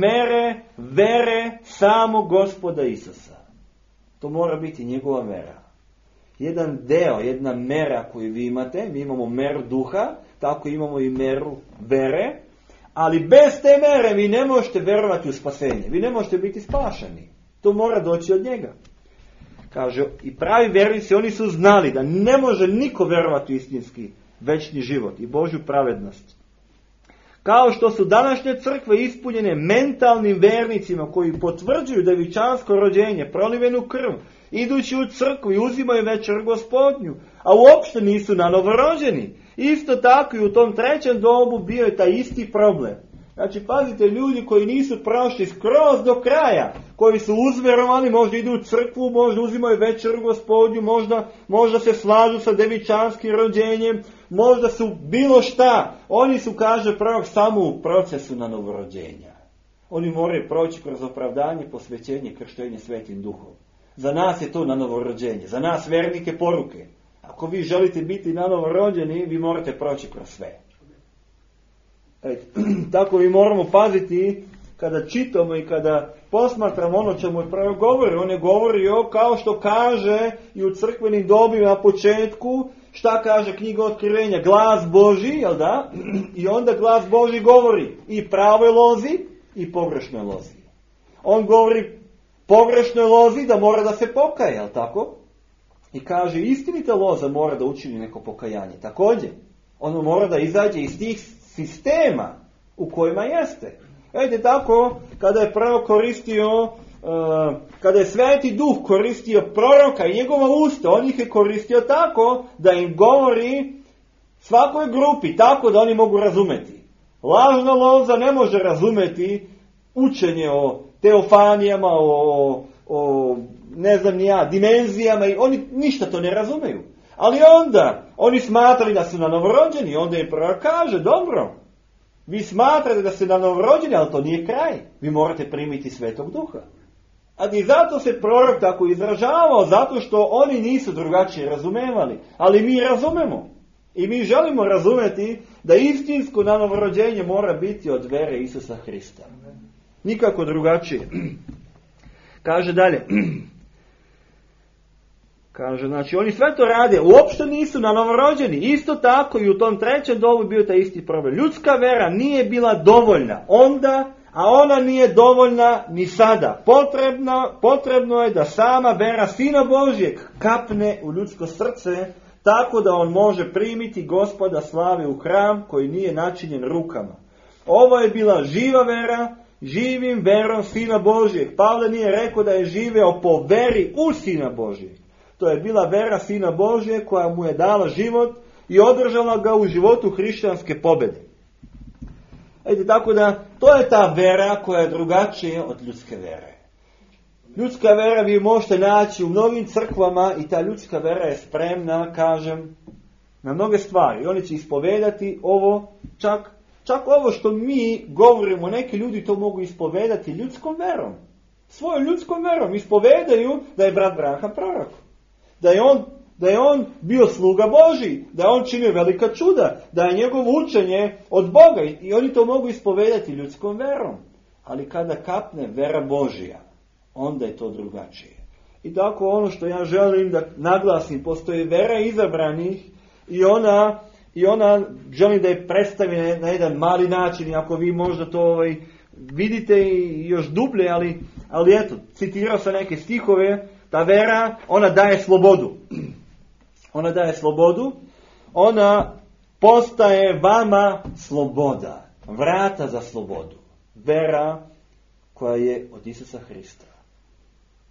vere samog Gospoda Isusa. To mora biti njegova vera. Jedan deo, jedna mera koju vi imate, mi imamo meru duha, tako imamo i meru vere, ali bez te mere vi ne možete verovati u spasenje. Vi ne možete biti spašeni. To mora doći od njega. Kaže, i pravi vernici, oni su znali da ne može niko verovati u istinski večni život i Božju pravednost. Kao što su današnje crkve ispunjene mentalnim vernicima koji potvrđuju devičansko rođenje, prolivenu krv, idući u crkvu i uzimaju večer Gospodnju, a uopšte nisu na novorođeni Isto tako i u tom trećem dobu bio je taj isti problem. Znači, pazite, ljudi koji nisu prošli skroz do kraja, koji su uzverovani, možda idu u crkvu, možda uzimaju večeru Gospodnju, možda se slažu sa devičanskim rođenjem, možda su bilo šta. Oni su, kaže prorok, samo u procesu na novorođenja. Oni moraju proći kroz opravdanje, posvećenje, krštenje Svetim Duhom. Za nas je to na novorođenje, za nas vernike poruke. Ako vi želite biti na novorođeni, vi morate proći kroz sve. Tako mi moramo paziti kada čitamo i kada posmatramo ono čemu je prorok govori. On je govorio kao što kaže i u crkvenim dobima na početku, šta kaže knjiga Otkrivenja, glas Božji, jel da? I onda glas Božji govori i pravoj lozi i pogrešnoj lozi. On govori pogrešnoj lozi da mora da se pokaje, jel tako? I kaže istinita loza mora da učini neko pokajanje. Također, ono mora da izađe iz tih sistema u kojima jeste. Vidite tako, kada je prorok koristio, kada je Sveti Duh koristio proroka i njegova usta, on ih je koristio tako da im govori svakoj grupi, tako da oni mogu razumeti. Lažna loza ne može razumeti učenje o teofanijama, o ne znam ni ja, dimenzijama, i oni ništa to ne razumeju. Ali onda, oni smatrali da su na novorođeni, onda im prorok kaže, dobro, vi smatrate da ste na novorođeni, ali to nije kraj. Vi morate primiti Svetog Duha. A i zato se prorok tako izražavao, zato što oni nisu drugačije razumevali. Ali mi razumemo. I mi želimo razumeti da istinsko na novorođenje mora biti od vere Isusa Hrista. Nikako drugačije. Kaže dalje. Kaže, znači, oni sve to rade, uopšte nisu na novorođeni. Isto tako i u tom trećem dobu bio taj isti problem. Ljudska vera nije bila dovoljna onda, a ona nije dovoljna ni sada. Potrebno je da sama vera Sina Božjeg kapne u ljudsko srce, tako da on može primiti Gospoda slave u hram koji nije načinjen rukama. Ovo je bila živa vera, živim verom Sina Božjeg. Pavle nije rekao da je živeo po veri u Sina Božjeg. To je bila vera Sina Božje koja mu je dala život i održala ga u životu hrišćanske pobjede. Tako da, to je ta vera koja je drugačija od ljudske vere. Ljudska vera vi možete naći u mnogim crkvama i ta ljudska vera je spremna, kažem, na mnoge stvari. I oni će ispovedati ovo, čak ovo što mi govorimo, neki ljudi to mogu ispovedati ljudskom verom. Svojom ljudskom verom ispovedaju da je brat Branham prorok. Da je on bio sluga Božji, da je on činio velika čuda, da je njegovo učenje od Boga i oni to mogu ispovedati ljudskom verom. Ali kada kapne vera Božja, onda je to drugačije. I tako ono što ja želim da naglasim, postoji vera izabranih i ona želim da je predstavi na jedan mali način, i ako vi možda to vidite i još dublje, ali eto, citirao sam neke stihove. Ta vera, ona daje slobodu. Ona daje slobodu. Ona postaje vama sloboda. Vrata za slobodu. Vera koja je od Isusa Hrista.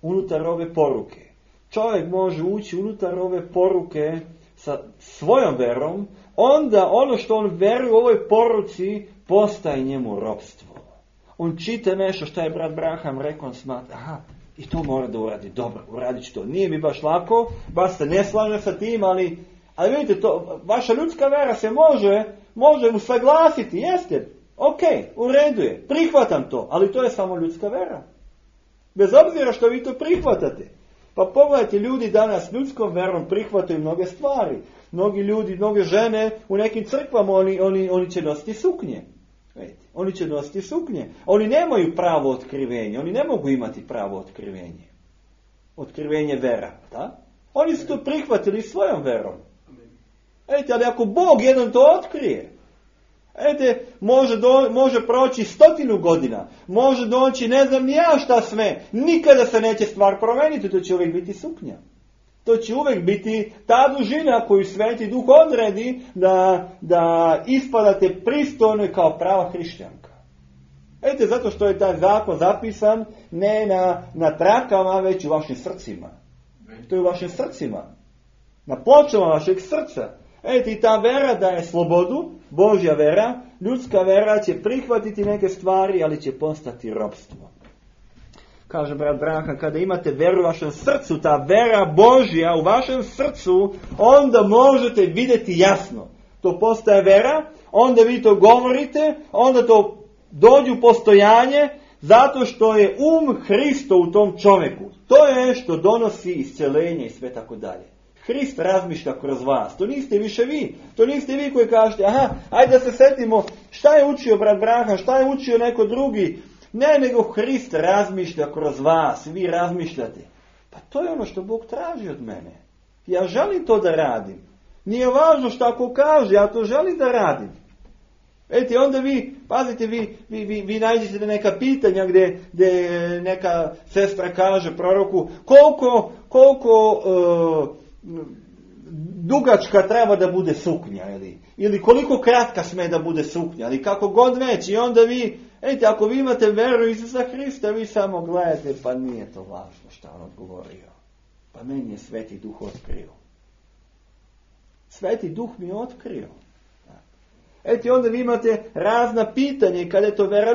Unutar ove poruke. Čovjek može ući unutar ove poruke sa svojom verom. Onda ono što on veruje u ovoj poruci postaje njemu ropstvo. On čita nešto što je brat Branham rekao, on smatra, i to mora da uradi. Dobro, uradit ću to. Nije mi baš lako, baš se ne slaže sa tim, ali vidite, to, vaša ljudska vera se može usaglasiti, jeste, ok, u redu je, prihvatam to, ali to je samo ljudska vera. Bez obzira što vi to prihvatate. Pa pogledajte, ljudi danas ljudskom verom prihvataju mnoge stvari. Mnogi ljudi, mnoge žene u nekim crkvama, oni će nositi suknje. Oni će nositi suknje. Oni nemaju pravo otkrivenje. Oni ne mogu imati pravo otkrivenje. Otkrivenje vera. Da? Oni su to prihvatili svojom verom. Ali ako Bog jednom to otkrije, može proći 100 godina. Može doći ne znam ni ja šta sve. Nikada se neće stvar promeniti. To će uvijek biti suknja. To će uvijek biti ta dužina koju Sveti Duh odredi da ispadate pristojno kao prava hrišćanka. Zato što je taj zakon zapisan ne na trakama, već u vašim srcima. To je u vašim srcima. Na pločama vašeg srca. I ta vera daje slobodu, Božja vera, ljudska vera će prihvatiti neke stvari, ali će postati ropstvo. Kaže brat Branham, kada imate veru u vašem srcu, ta vera Božja u vašem srcu, onda možete vidjeti jasno. To postaje vera, onda vi to govorite, onda to dođe u postojanje, zato što je Hristo u tom čovjeku. To je što donosi isceljenje i sve tako dalje. Hrist razmišlja kroz vas. To niste više vi. To niste vi koji kažete, ajde da se setimo šta je učio brat Branham, šta je učio neko drugi. Ne, nego Hrist razmišlja kroz vas. Vi razmišljate. Pa to je ono što Bog traži od mene. Ja želim to da radim. Nije važno šta ko kaže, ja to želim da radim. Onda vi, pazite, vi nađete neka pitanja gdje neka sestra kaže proroku koliko dugačka treba da bude suknja ili koliko kratka sme da bude suknja ili kako god već. I onda vi, ako vi imate veru Isusa Hrista, vi samo gledate, pa nije to važno šta on odgovorio. Pa meni je Sveti Duh otkrio. Sveti Duh mi je otkrio. Onda vi imate razna pitanja i kada je to vera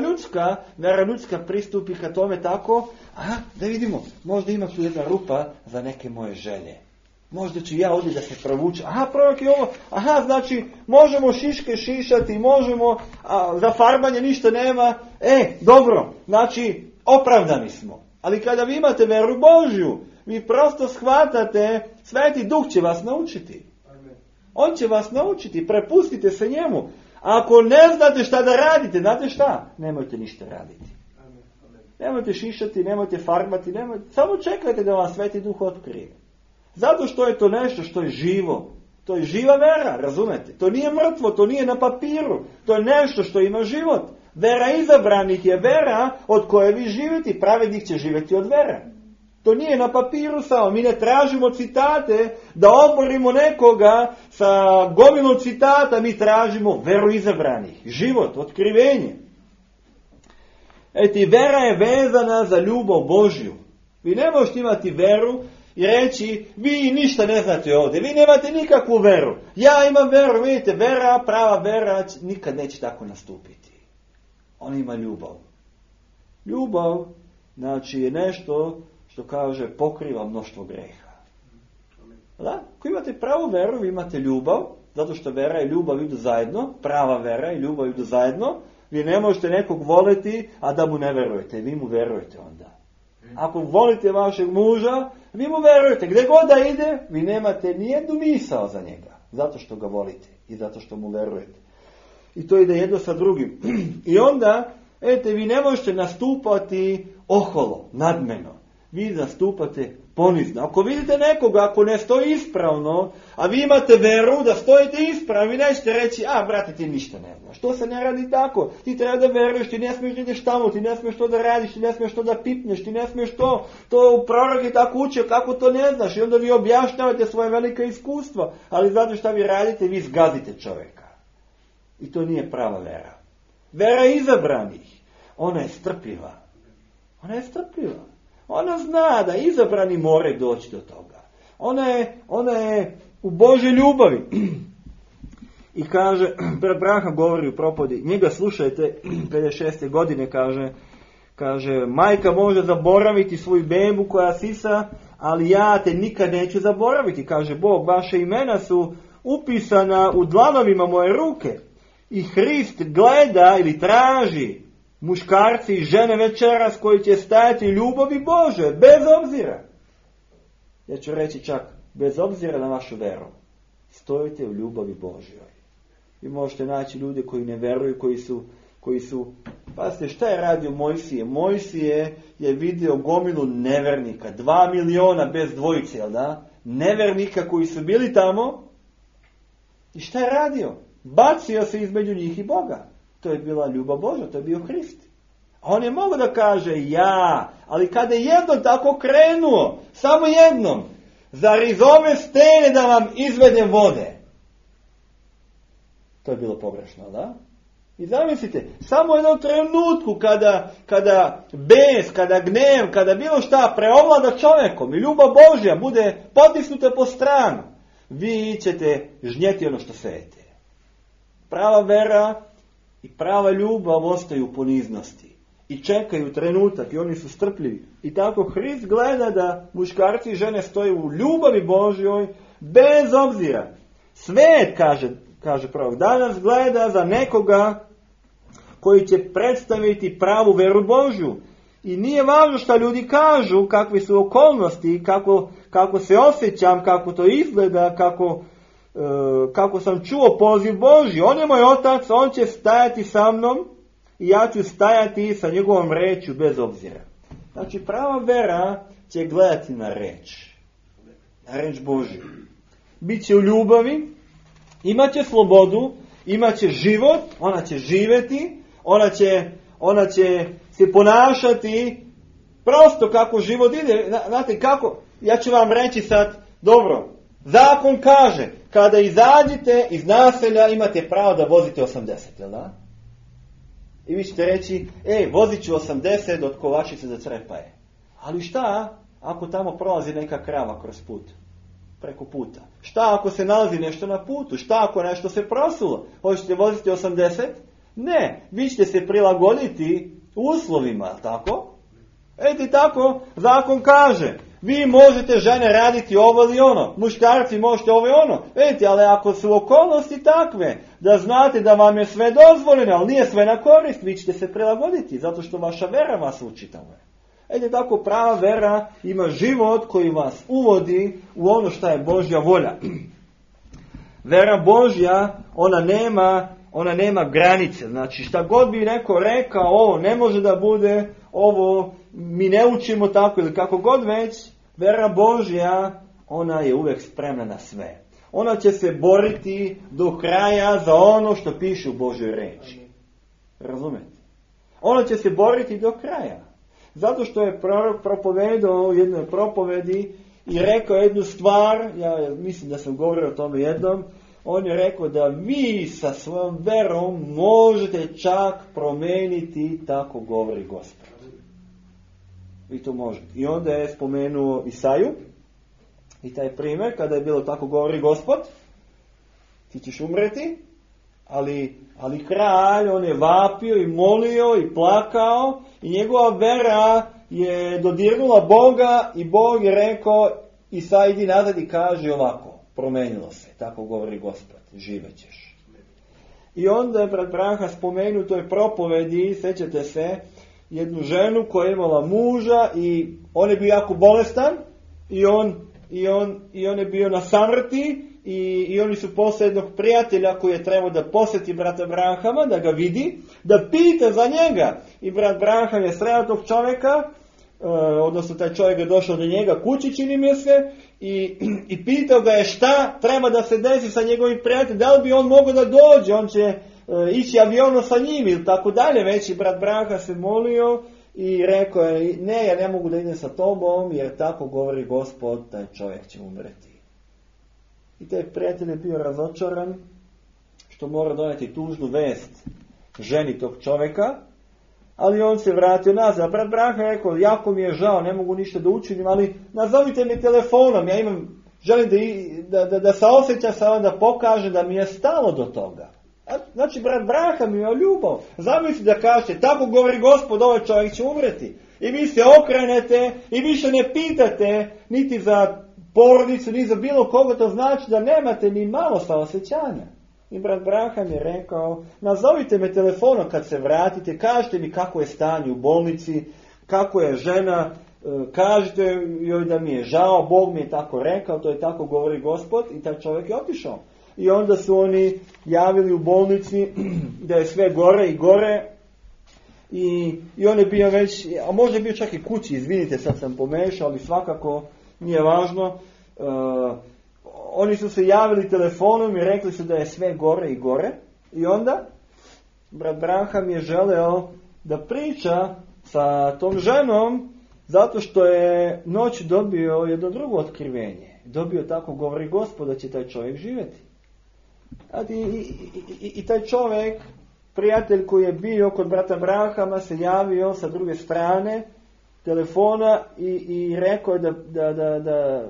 ljudska pristupi ka tome tako, da vidimo, možda ima tu jedna rupa za neke moje želje. Možda ću ja ovdje da se provučem. Prorok je ovo. Znači, možemo šiške šišati, možemo, za farbanje ništa nema. Dobro, znači, opravdani smo. Ali kada vi imate veru Božju, vi prosto shvatate, Sveti Duh će vas naučiti. On će vas naučiti, prepustite se njemu. Ako ne znate šta da radite, znate šta? Nemojte ništa raditi. Nemojte šišati, nemojte farbati, samo čekajte da vam Sveti Duh otkrije. Zato što je to nešto što je živo. To je živa vera, razumete? To nije mrtvo, to nije na papiru. To je nešto što ima život. Vera izabranih je vera od koje vi živite. Pravednik će živjeti od vere. To nije na papiru samo. Mi ne tražimo citate da oborimo nekoga sa gomilom citata. Mi tražimo veru izabranih. Život, otkrivenje. Vera je vezana za ljubav Božju. Vi ne možete imati veru i reći, vi ništa ne znate ovdje. Vi nemate nikakvu veru. Ja imam veru, vidite, vera, prava vera, nikad neće tako nastupiti. On ima ljubav. Ljubav, znači, je nešto što kaže pokriva mnoštvo greha. Da? Ako imate pravu veru, vi imate ljubav, zato što vera i ljubav idu zajedno, prava vera i ljubav idu zajedno, vi ne možete nekog voliti, a da mu ne verujete, vi mu verujete onda. Ako volite vašeg muža, vi mu verujete, gdje god da ide, vi nemate nijednu misao za njega, zato što ga volite i zato što mu verujete. I to ide jedno sa drugim. I onda, vi ne možete nastupati oholo, nadmeno. Vi nastupate ponizno. Ako vidite nekoga, ako ne stoji ispravno, a vi imate veru da stojite ispravno, vi nećete reći, brate, ti ništa ne znaš. To se ne radi tako. Ti treba da veruješ, ti ne smiješ da ideš tamo, ti ne smiješ to da radiš, ti ne smiješ to da pipneš, ti ne smiješ to. To prorok je tako učio, kako to ne znaš. I onda vi objašnjavate svoje velike iskustva. Ali znate šta vi radite? Vi zgazite čovjeka. I to nije prava vera. Vera izabranih. Ona je strpljiva. Ona je strpljiva. Ona zna da izabrani moraju doći do toga. Ona je u Božoj ljubavi. I kaže, Branham govori u propodi, njega slušajte, 56. godine kaže, majka može zaboraviti svoju bebu koja sisa, ali ja te nikad neću zaboraviti. Kaže Bog, vaše imena su upisana u dlanovima moje ruke. I Hrist gleda ili traži muškarci i žene večeras koji će stajati u ljubavi Bože, bez obzira. Ja ću reći čak, bez obzira na vašu veru, stojite u ljubavi Božjoj. Vi možete naći ljude koji ne veruju, koji su, pazite, šta je radio Mojsije? Mojsije je vidio gomilu nevernika, 2 miliona bez dvojice, jel da? Nevernika koji su bili tamo. I šta je radio? Bacio se između njih i Boga. To je bila ljubav Božja, to je bio Hrist. A on je mogao da kaže ali kada je jednom tako krenuo, samo jednom, zar iz ove stene da vam izvedem vode? To je bilo pogrešno, da? I zamislite, samo u jednom trenutku kada bes, kada gnev, kada bilo šta preovlada čovjekom i ljubav Božja bude potisnuta po stranu, vi ćete žnjeti ono što sejete. Prava vera i prava ljubav ostaju u poniznosti i čekaju trenutak i oni su strpljivi. I tako Hrist gleda da muškarci i žene stoje u ljubavi Božjoj bez obzira. Svet, kaže prvog, danas gleda za nekoga koji će predstaviti pravu veru Božju. I nije važno šta ljudi kažu, kakve su okolnosti, kako se osjećam, kako to izgleda, kako sam čuo poziv Božji. On je moj otac, on će stajati sa mnom i ja ću stajati sa njegovom rečju bez obzira. Znači prava vera će gledati na reč Božju. Biće u ljubavi, imaće slobodu, imaće život, ona će živjeti, ona će se ponašati prosto kako život ide. Znate kako? Ja ću vam reći sad, dobro, zakon kaže, kada izađete iz naselja imate pravo da vozite 80, jel da? I vi ćete reći, vozit ću 80 od Kovačice do Crepaje. Ali šta ako tamo prolazi neka krava kroz put? Preko puta. Šta ako se nalazi nešto na putu? Šta ako nešto se prosulo? Hoćete voziti 80? Ne, vi ćete se prilagoditi uslovima, tako? Eti tako, zakon kaže, vi možete žene raditi ovo ili ono, muškarci možete ovo i ono. Eti, ali ako su okolnosti takve, da znate da vam je sve dozvoljeno, ali nije sve na korist, vi ćete se prilagoditi, zato što vaša vera vas uči tamo. Eti tako, prava vera ima život koji vas uvodi u ono što je Božja volja. Vera Božja, ona nema granice. Znači šta god bi neko rekao, ovo ne može da bude, ovo mi ne učimo tako ili kako god već, vera Božja, ona je uvijek spremna na sve. Ona će se boriti do kraja za ono što piše u Božjoj reči. Razumete? Ona će se boriti do kraja. Zato što je prorok propovedao u jednoj propovedi i rekao jednu stvar, ja mislim da sam govorio o tome jednom, on je rekao da vi sa svojom verom možete čak promijeniti, tako govori Gospod. Vi to možete. I onda je spomenuo Isaju i taj primjer, kada je bilo tako govori Gospod, ti ćeš umreti, ali kralj, on je vapio i molio i plakao i njegova vera je dodirnula Boga i Bog je rekao, Isaj idi nazad i kaže ovako, promenilo se, tako govori Gospod, živećeš. I onda je brat Branha spomenuo u toj propovedi, sećate se, jednu ženu koja je imala muža i on je bio jako bolestan i on je bio na samrti i oni su poslali jednog prijatelja koji je trebao da posjeti brata Branhama, da ga vidi, da pita za njega. I brat Branham je sreo tog čovjeka, odnosno taj čovjek je došao do njega kući, čini mi se, i pitao ga je šta treba da se desi sa njegovim prijateljem, da li bi on mogao da dođe, on će ići avionom sa njim ili tako dalje. Već i brat Branham se molio i rekao je, ne, ja ne mogu da idem sa tobom, jer tako govori Gospod, taj čovjek će umreti. I taj prijatelj je bio razočaran što mora doneti tužnu vest ženi tog čovjeka, ali on se vratio nazad. Brat Branham je rekao, jako mi je žao, ne mogu ništa da učinim, ali nazovite mi telefonom, ja želim da se osjeća sa vam, da pokaže da mi je stalo do toga. Znači, brat Branham je ljubav. Zamislite da kažete, tako govori Gospod, ovaj čovjek će umreti. I vi se okrenete i više ne pitate niti za porodicu, ni za bilo koga, to znači da nemate ni malo saosjećanja. I brat Branham je rekao, nazovite me telefonom kad se vratite, kažite mi kako je stanje u bolnici, kako je žena, kažite joj da mi je žao, Bog mi je tako rekao, to je tako govori Gospod, i taj čovjek je otišao. I onda su oni javili u bolnici da je sve gore i gore i on je bio već, a možda je bio čak i kući, izvinite, sad sam pomešao, ali svakako nije važno. Oni su se javili telefonom i rekli su da je sve gore i gore. I onda brat Branham je želeo da priča sa tom ženom zato što je noć dobio jedno drugo otkrivenje. Dobio, tako govori Gospod, da će taj čovjek živjeti. I taj čovjek, prijatelj koji je bio kod brata Branhama, se javio sa druge strane telefona i rekao da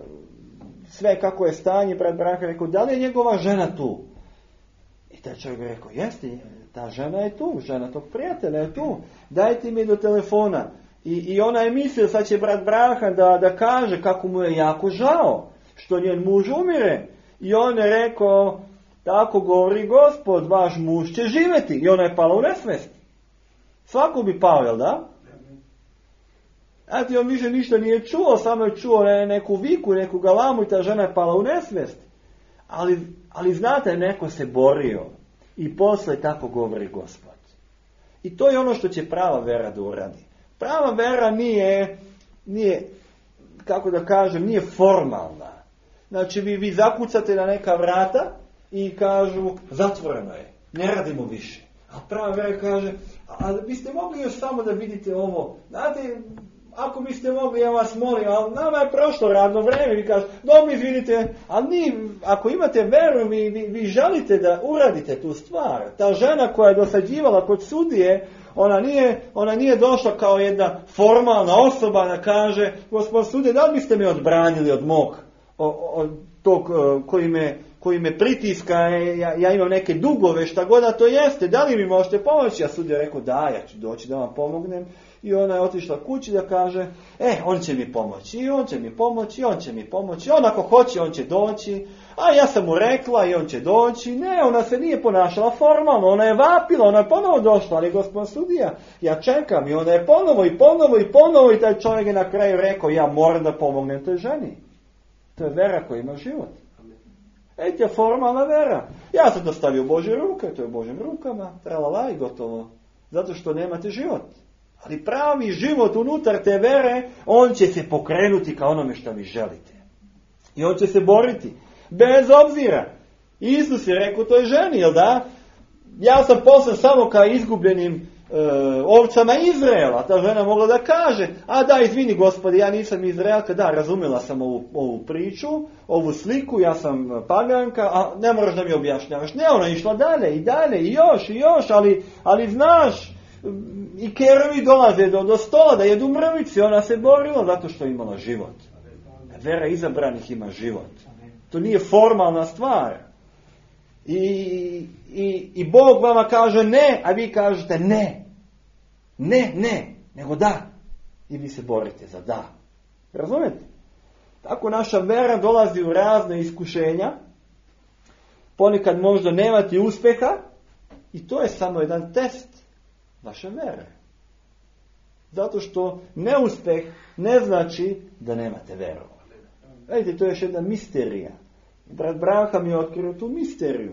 sve kako je stanje, brat Branka rekao, da li je njegova žena tu? I taj čovjek je rekao, jeste, ta žena je tu, žena tog prijatelja je tu, dajte mi do telefona. I ona je mislila, sad će brat Branka da kaže kako mu je jako žao, što njen muž umire. I on je rekao, tako govori Gospod, vaš muž će živjeti. I ona je pala u nesvijest. Svako bi pao, jel da? Znate, on više ništa nije čuo, samo je čuo neku viku, neku galamu i ta žena je pala u nesvijest. Ali znate, neko se borio i posle tako govori Gospod. I to je ono što će prava vera da uradi. Prava vera nije, kako da kažem, nije formalna. Znači vi zakucate na neka vrata i kažu zatvoreno je, ne radimo više. A prava vera kaže, a biste mogli još samo da vidite ovo. Znate, ako biste mogli, ja vas molim, ali nama je prošlo radno vreme, vi kažete, dobro izvinite, ali ako imate veru, vi želite da uradite tu stvar. Ta žena koja je dosađivala kod sudije, ona nije došla kao jedna formalna osoba da kaže, gospod sudije, da li biste me odbranili od mog, od tog koji me pritiska, ja imam neke dugove, šta god da to jeste, da li mi možete pomoći? A sudija rekao, da, ja ću doći da vam pomognem. I ona je otišla kući da kaže, on će mi pomoći, i on će mi pomoći, i on će mi pomoći, on ako hoće, on će doći, a ja sam mu rekla i on će doći. Ne, ona se nije ponašala formalno, ona je vapila, ona je ponovo došla, ali gospod sudija, ja čekam, i ona je ponovo i taj čovjek je na kraju rekao, ja moram da pomognem toj ženi. To je vera koja ima život. Je formalna vera. Ja sam dostavio u Božje ruke, to je u Božjim rukama, tralala i gotovo. Zato što nemate život. Ali pravi život unutar te vere, on će se pokrenuti ka onome što vi želite. I on će se boriti. Bez obzira. Isus je rekao toj ženi, jel da? Ja sam poslan samo ka izgubljenim ovcama Izraela. Ta žena mogla da kaže, a da, izvini Gospode, ja nisam Izraelka, da, razumjela sam ovu priču, ovu sliku, ja sam paganka, a ne moraš da mi objašnjavaš. Ne, ona je išla dalje, i još, ali znaš, i kerovi dolaze do stola da jedu mrvice, ona se borila zato što je imala život. Vera izabranih ima život. To nije formalna stvar. I Bog vama kaže ne, a vi kažete ne, nego da. I vi se borite za da. Razumete? Tako naša vera dolazi u razne iskušenja. Ponekad možda nemate uspjeha i to je samo jedan test vaše vere. Zato što neuspjeh ne znači da nemate veru. Vidite, to je još jedna misterija. Brat Branka mi je otkrio tu misteriju.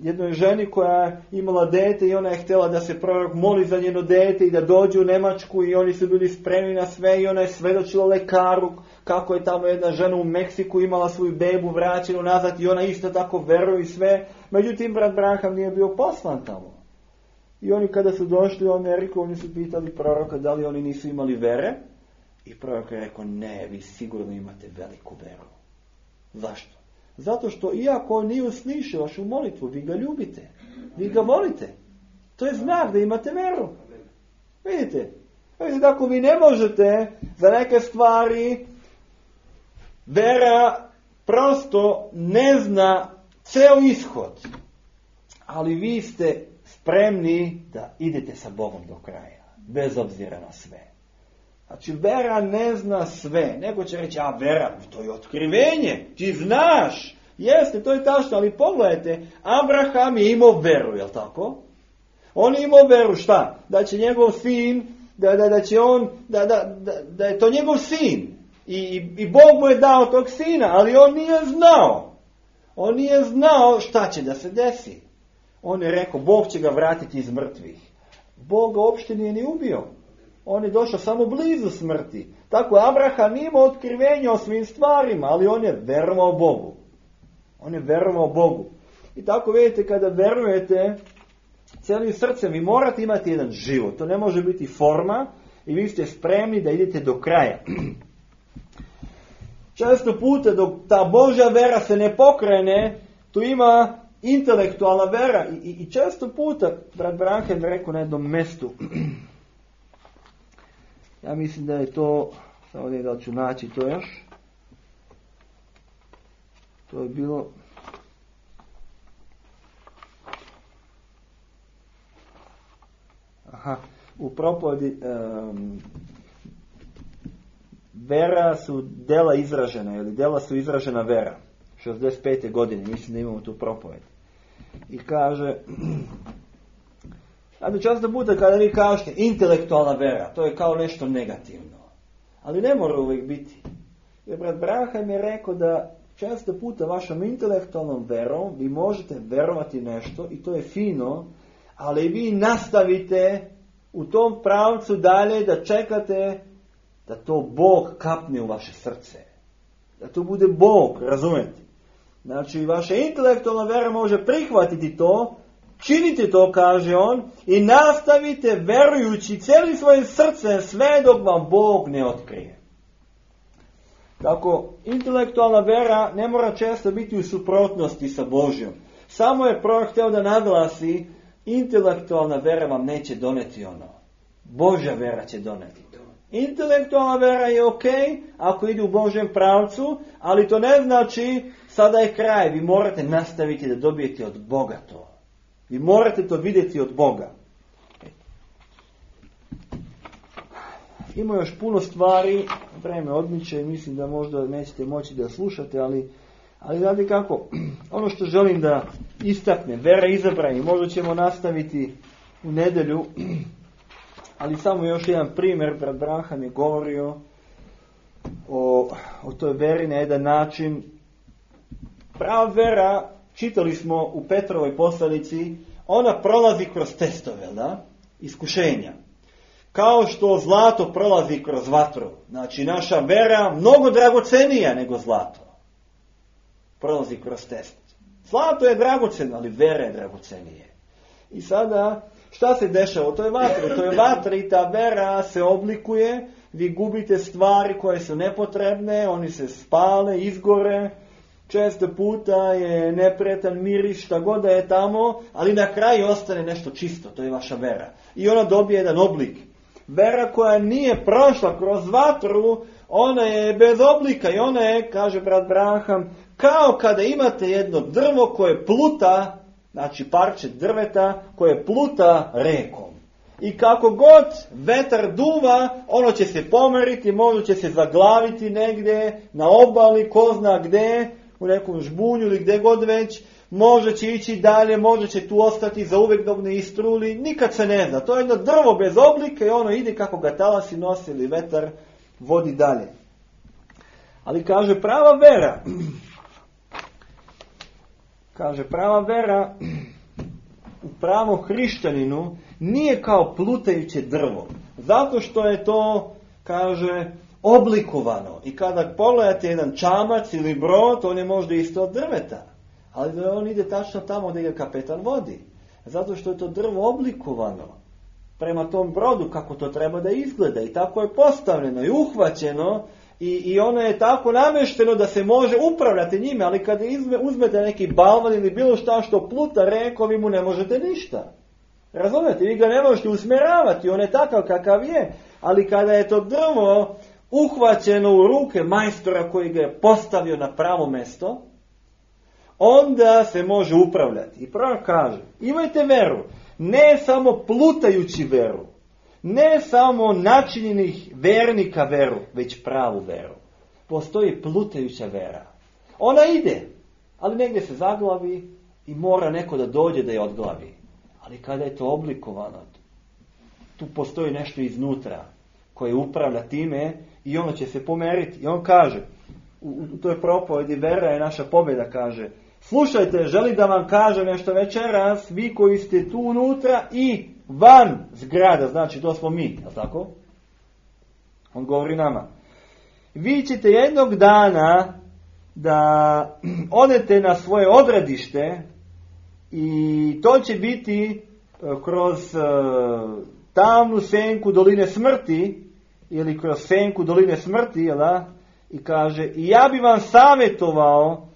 Jednoj ženi koja je imala dete i ona je htjela da se prorok moli za njeno dete i da dođe u Njemačku i oni su bili spremni na sve i ona je svedočila lekaru kako je tamo jedna žena u Meksiku imala svoju bebu vraćenu nazad i ona isto tako veruje i sve. Međutim, brat Branham nije bio poslan tamo. I oni kada su došli u Ameriku, oni su pitali proroka da li oni nisu imali vere. I prorok je rekao, ne, vi sigurno imate veliku veru. Zašto? Zato što iako on nije uslišio vašu molitvu, vi ga ljubite. Vi ga volite. To je znak da imate veru. Vidite, ako vi ne možete za neke stvari, vera prosto ne zna ceo ishod. Ali vi ste spremni da idete sa Bogom do kraja. Bez obzira na sve. Znači, vera ne zna sve. Neko će reći, a vera, to je otkrivenje. Ti znaš. Jeste, to je tačno, ali pogledajte, Abraham je imao veru, jel tako? On je imao veru, šta? Da će njegov sin, da je to njegov sin. I Bog mu je dao tog sina, ali on nije znao. On nije znao šta će da se desi. On je rekao, Bog će ga vratiti iz mrtvih. Bog ga uopšte nije ni ubio. On je došao samo blizu smrti. Tako Abraham ima otkrivenje o svim stvarima, ali on je verovao Bogu. On je verovao Bogu. I tako vidite, kada verujete cijelim srcem, vi morate imati jedan život. To ne može biti forma i vi ste spremni da idete do kraja. Često puta dok ta Božja vera se ne pokrene, tu ima intelektualna vera. I često puta, brat Branham rekao na jednom mjestu, ja mislim da je to Samo ne da ću naći to još. To je bilo... u propovedi vera su dela izražena, ili dela su izražena vera. 65. godine, mislim da imamo tu propoved. I kaže, često puta kada vi kažete intelektualna vera, to je kao nešto negativno. Ali ne mora uvijek biti. Jer brat Branham je rekao da često puta vašom intelektualnom verom vi možete verovati nešto i to je fino, ali vi nastavite u tom pravcu dalje da čekate da to Bog kapne u vaše srce. Da to bude Bog, razumete? Znači, vaša intelektualna vera može prihvatiti to, činite to, kaže on, i nastavite verujući cijelim svojim srcem sve dok vam Bog ne otkrije. Tako, intelektualna vera ne mora često biti u suprotnosti sa Božjom. Samo je prorok htio da naglasi, intelektualna vera vam neće doneti ono. Božja vera će doneti to. Intelektualna vera je ok ako ide u Božjem pravcu, ali to ne znači sada je kraj. Vi morate nastaviti da dobijete od Boga to. Vi morate to vidjeti od Boga. Ima još puno stvari, vreme odmiče i mislim da možda nećete moći da slušate, ali znate kako, ono što želim da istaknem, vera izabrani, možda ćemo nastaviti u nedjelju, ali samo još jedan primjer, brat Branham je govorio o toj veri na jedan način. Prava vera, čitali smo u Petrovoj poslanici, ona prolazi kroz testove, da? Iskušenja. Kao što zlato prolazi kroz vatru. Znači, naša vera mnogo dragocenija nego zlato. Prolazi kroz test. Zlato je dragoceno, ali vera je dragocenije. I sada, šta se dešava u toj vatri? U toj vatri ta vera se oblikuje, vi gubite stvari koje su nepotrebne, oni se spale, izgore, često puta je neprijatan miris, šta god da je tamo, ali na kraju ostane nešto čisto, to je vaša vera. I ona dobije jedan oblik. Vera koja nije prošla kroz vatru, ona je bez oblika i ona je, kaže brat Branham, kao kada imate jedno drvo koje pluta, znači parče drveta koje pluta rekom. I kako god vetar duva, ono će se pomeriti, možda će se zaglaviti negdje na obali, ko zna gdje, u nekom žbunju ili gdje god već, možda će ići dalje, možda će tu ostati za uvijek dok ne istruli, nikad se ne zna. To je jedno drvo bez oblika i ono ide kako ga talasi nosi ili vetar vodi dalje. Ali kaže prava vera u pravom hrišćaninu nije kao plutajuće drvo. Zato što je to, kaže, oblikovano. I kada pogledate jedan čamac ili brod, on je možda isto od drveta. Ali on ide tačno tamo gdje ga kapetan vodi. Zato što je to drvo oblikovano prema tom brodu kako to treba da izgleda. I tako je postavljeno i uhvaćeno. I ono je tako namješteno da se može upravljati njime. Ali kada uzmete neki balvan ili bilo šta što pluta rekom, vi mu ne možete ništa. Razumijete? Vi ga ne možete usmjeravati. On je takav kakav je. Ali kada je to drvo uhvaćeno u ruke majstora koji ga je postavio na pravo mjesto, onda se može upravljati. I prorok kaže, imajte veru, ne samo plutajući veru, ne samo načinjenih vernika veru, već pravu veru. Postoji plutajuća vera. Ona ide, ali negdje se zaglavi i mora neko da dođe da je odglavi. Ali kada je to oblikovano, tu postoji nešto iznutra koje upravlja time i ono će se pomeriti. I on kaže, u toj propovedi vera je naša pobjeda, kaže, slušajte, želim da vam kažem nešto večeras, vi koji ste tu unutra i van zgrada, znači to smo mi, je tako? On govori nama. Vi ćete jednog dana da odete na svoje odredište i to će biti kroz tamnu senku doline smrti ili kroz senku doline smrti, jel da? I kaže, i ja bi vam savjetovao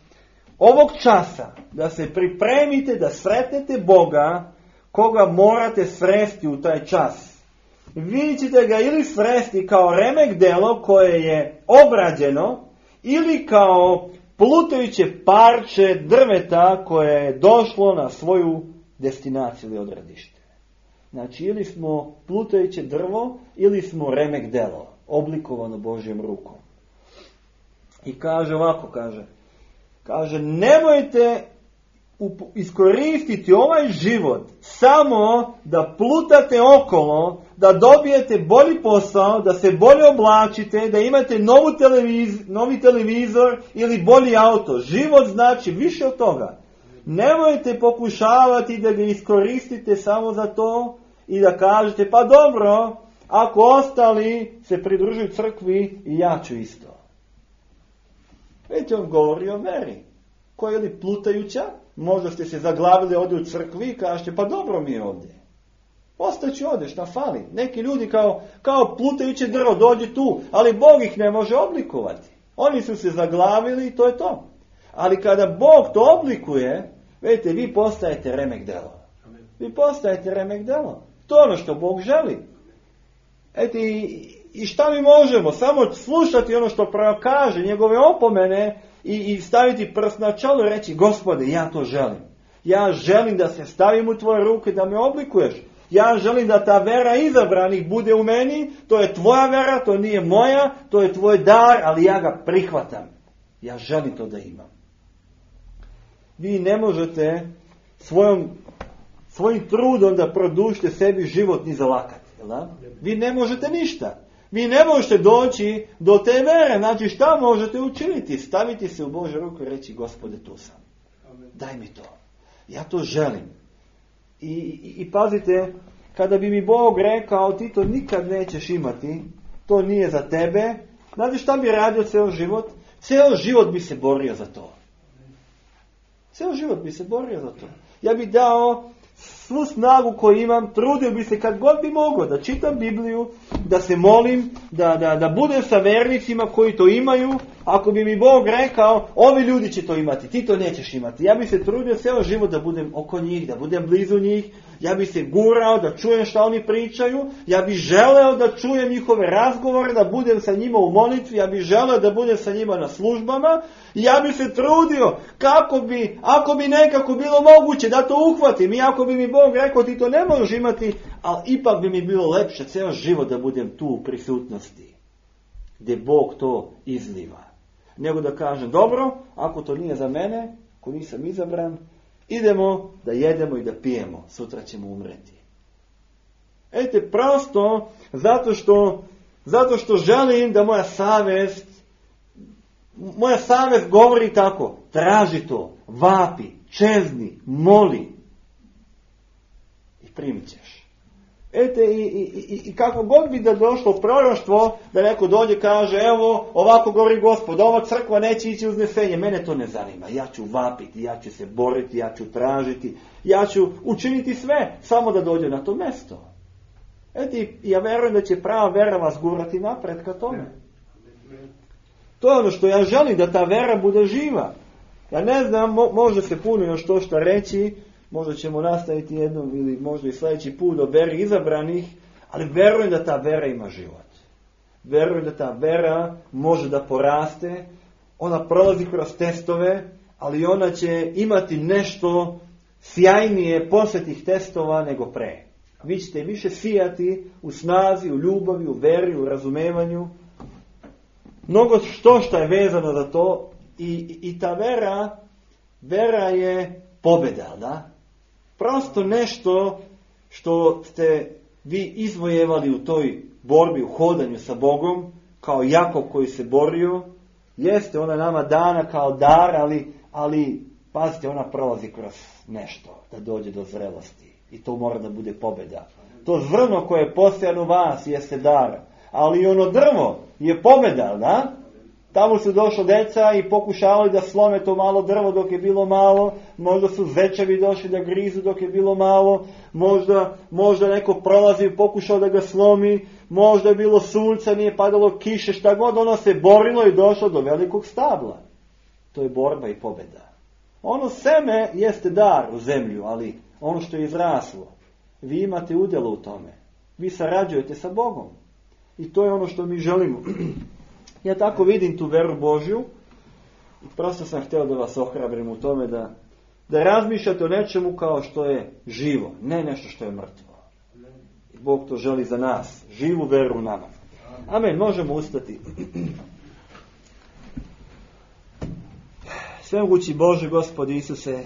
ovog časa da se pripremite da sretnete Boga koga morate sresti u taj čas. vi ćete ga ili sresti kao remek delo koje je obrađeno, ili kao plutajuće parče drveta koje je došlo na svoju destinaciju ili odredište. Znači, ili smo plutajuće drvo, ili smo remek delo, oblikovano Božjom rukom. I kaže ovako, kaže, nemojte iskoristiti ovaj život samo da plutate okolo, da dobijete bolji posao, da se bolje oblačite, da imate novi televizor ili bolji auto. Život znači više od toga. Nemojte pokušavati da ga iskoristite samo za to i da kažete, pa dobro, ako ostali se pridružuju crkvi i ja ću isto. Vidite, on govori o veri. Koja je li plutajuća? Možda ste se zaglavili ovdje u crkvi i kažete, pa dobro mi je ovdje. Ostaću ovdje, šta fali? Neki ljudi kao plutajuće drvo dođe tu, ali Bog ih ne može oblikovati. Oni su se zaglavili i to je to. Ali kada Bog to oblikuje, vidite, vi postajete remek delo. Vi postajete remek delo. To je ono što Bog želi. I šta mi možemo? Samo slušati ono što prorok kaže, njegove opomene i staviti prst na čelo i reći, Gospode, ja to želim. Ja želim da se stavim u tvoje ruke, da me oblikuješ. Ja želim da ta vera izabranih bude u meni. To je tvoja vera, to nije moja, to je tvoj dar, ali ja ga prihvatam. Ja želim to da imam. Vi ne možete svojim trudom da produžite sebi život ni zalakati. Vi ne možete ništa. Vi ne možete doći do te vere. Znači, šta možete učiniti? Staviti se u Božju ruku i reći, Gospode, tu sam. Daj mi to. Ja to želim. I pazite, kada bi mi Bog rekao, ti to nikad nećeš imati, to nije za tebe, znate šta bi radio ceo život? Ceo život bi se borio za to. Ceo život bi se borio za to. Ja bi dao svu snagu koju imam, trudio bi se kad god bi mogao da čitam Bibliju, da se molim, da budem sa vernicima koji to imaju. Ako bi mi Bog rekao, ovi ljudi će to imati, ti to nećeš imati. Ja bi se trudio ceo život da budem oko njih, da budem blizu njih. Ja bi se gurao da čujem šta oni pričaju. Ja bi želeo da čujem njihove razgovore, da budem sa njima u molitvi. Ja bi želeo da budem sa njima na službama. I ja bi se trudio ako bi nekako bilo moguće da to uhvatim. I ako bi mi Bog rekao, ti to ne možeš imati, ali ipak bi mi bilo lepše ceo život da budem tu u prisutnosti, gdje Bog to izliva. Nego da kažem, dobro, ako to nije za mene, ako nisam izabran, idemo da jedemo i da pijemo, sutra ćemo umreti. Ejte, prosto zato što želim da moja savest govori tako, traži to, vapi, čezni, moli i primit ćeš. Ete, i kako god bi da došlo proroštvo, da neko dođe kaže, evo, ovako govori Gospod, ova crkva neće ići uznesenje, mene to ne zanima, ja ću vapiti, ja ću se boriti, ja ću tražiti, ja ću učiniti sve, samo da dođe na to mjesto. Ete, ja verujem da će prava vera vas gurati napred ka tome. To je ono što ja želim, da ta vera bude živa. Ja ne znam, možda se puno još to što reći, možda ćemo nastaviti jednom ili možda i sljedeći put o veri izabranih, ali verujem da ta vera ima život. Verujem da ta vera može da poraste, ona prolazi kroz testove, ali ona će imati nešto sjajnije posle tih testova nego pre. Vi ćete više sijati u snazi, u ljubavi, u veri, u razumevanju. Mnogo što je vezano za to i ta vera je pobjeda, da? Prosto nešto što ste vi izvojevali u toj borbi, u hodanju sa Bogom, kao Jakov koji se borio, jeste ona nama dana kao dar, ali pazite, ona prolazi kroz nešto, da dođe do zrelosti. I to mora da bude pobjeda. To zrno koje je posejano u vas jeste dar, ali ono drvo je pobjeda, da? Tamo su došli deca i pokušavali da slome to malo drvo dok je bilo malo, možda su zečevi došli da grizu dok je bilo malo, možda neko prolazi i pokušao da ga slomi, možda je bilo sunca, nije padalo kiše, šta god, ono se borilo i došlo do velikog stabla. To je borba i pobjeda. Ono seme jeste dar u zemlju, ali ono što je izraslo, vi imate udjelo u tome. vi sarađujete sa Bogom. I to je ono što mi želimo. Ja tako vidim tu veru Božju i prosto sam htio da vas ohrabrim u tome da razmišljate o nečemu kao što je živo, ne nešto što je mrtvo. Bog to želi za nas, živu veru u nama. Amen, možemo ustati. Svemogući Bože, Gospodi Isuse,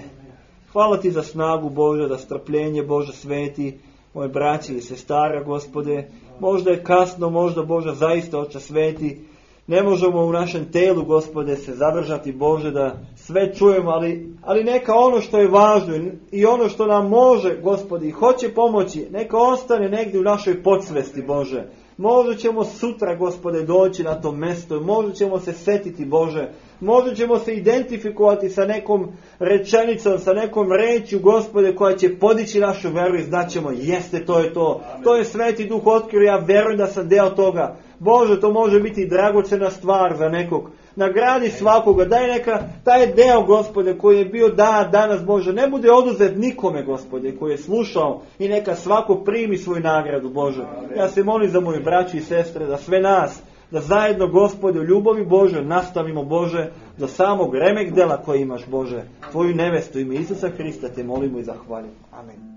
hvala Ti za snagu Bože, za strpljenje Bože sveti, moje braći i sestara, Gospode. Možda je kasno, možda Bože zaista Oče sveti, ne možemo u našem telu, Gospode, se zadržati, Bože, da sve čujemo, ali neka ono što je važno i ono što nam može, Gospodi, hoće pomoći, neka ostane negdje u našoj podsvesti, Bože. Možda ćemo sutra, Gospode, doći na to mjesto, možda ćemo se setiti, Bože, možda ćemo se identifikovati sa nekom rečenicom, sa nekom rečju, Gospode, koja će podići našu veru i znaćemo, jeste, to je to. To je Sveti Duh otkrio, ja verujem da sam deo toga. Bože, to može biti dragocena stvar za nekog. Nagradi svakoga, daj neka taj deo, Gospode, koji je bio danas, Bože, ne bude oduzet nikome, Gospode, koji je slušao i neka svako primi svoju nagradu, Bože. Ja se molim za moju braću i sestre, da sve nas, da zajedno, Gospode, u ljubavi Bože nastavimo, Bože, do samog remek dela koje imaš, Bože, Tvoju nevestu, ime Isusa Hrista te molimo i zahvaljujemo. Amen.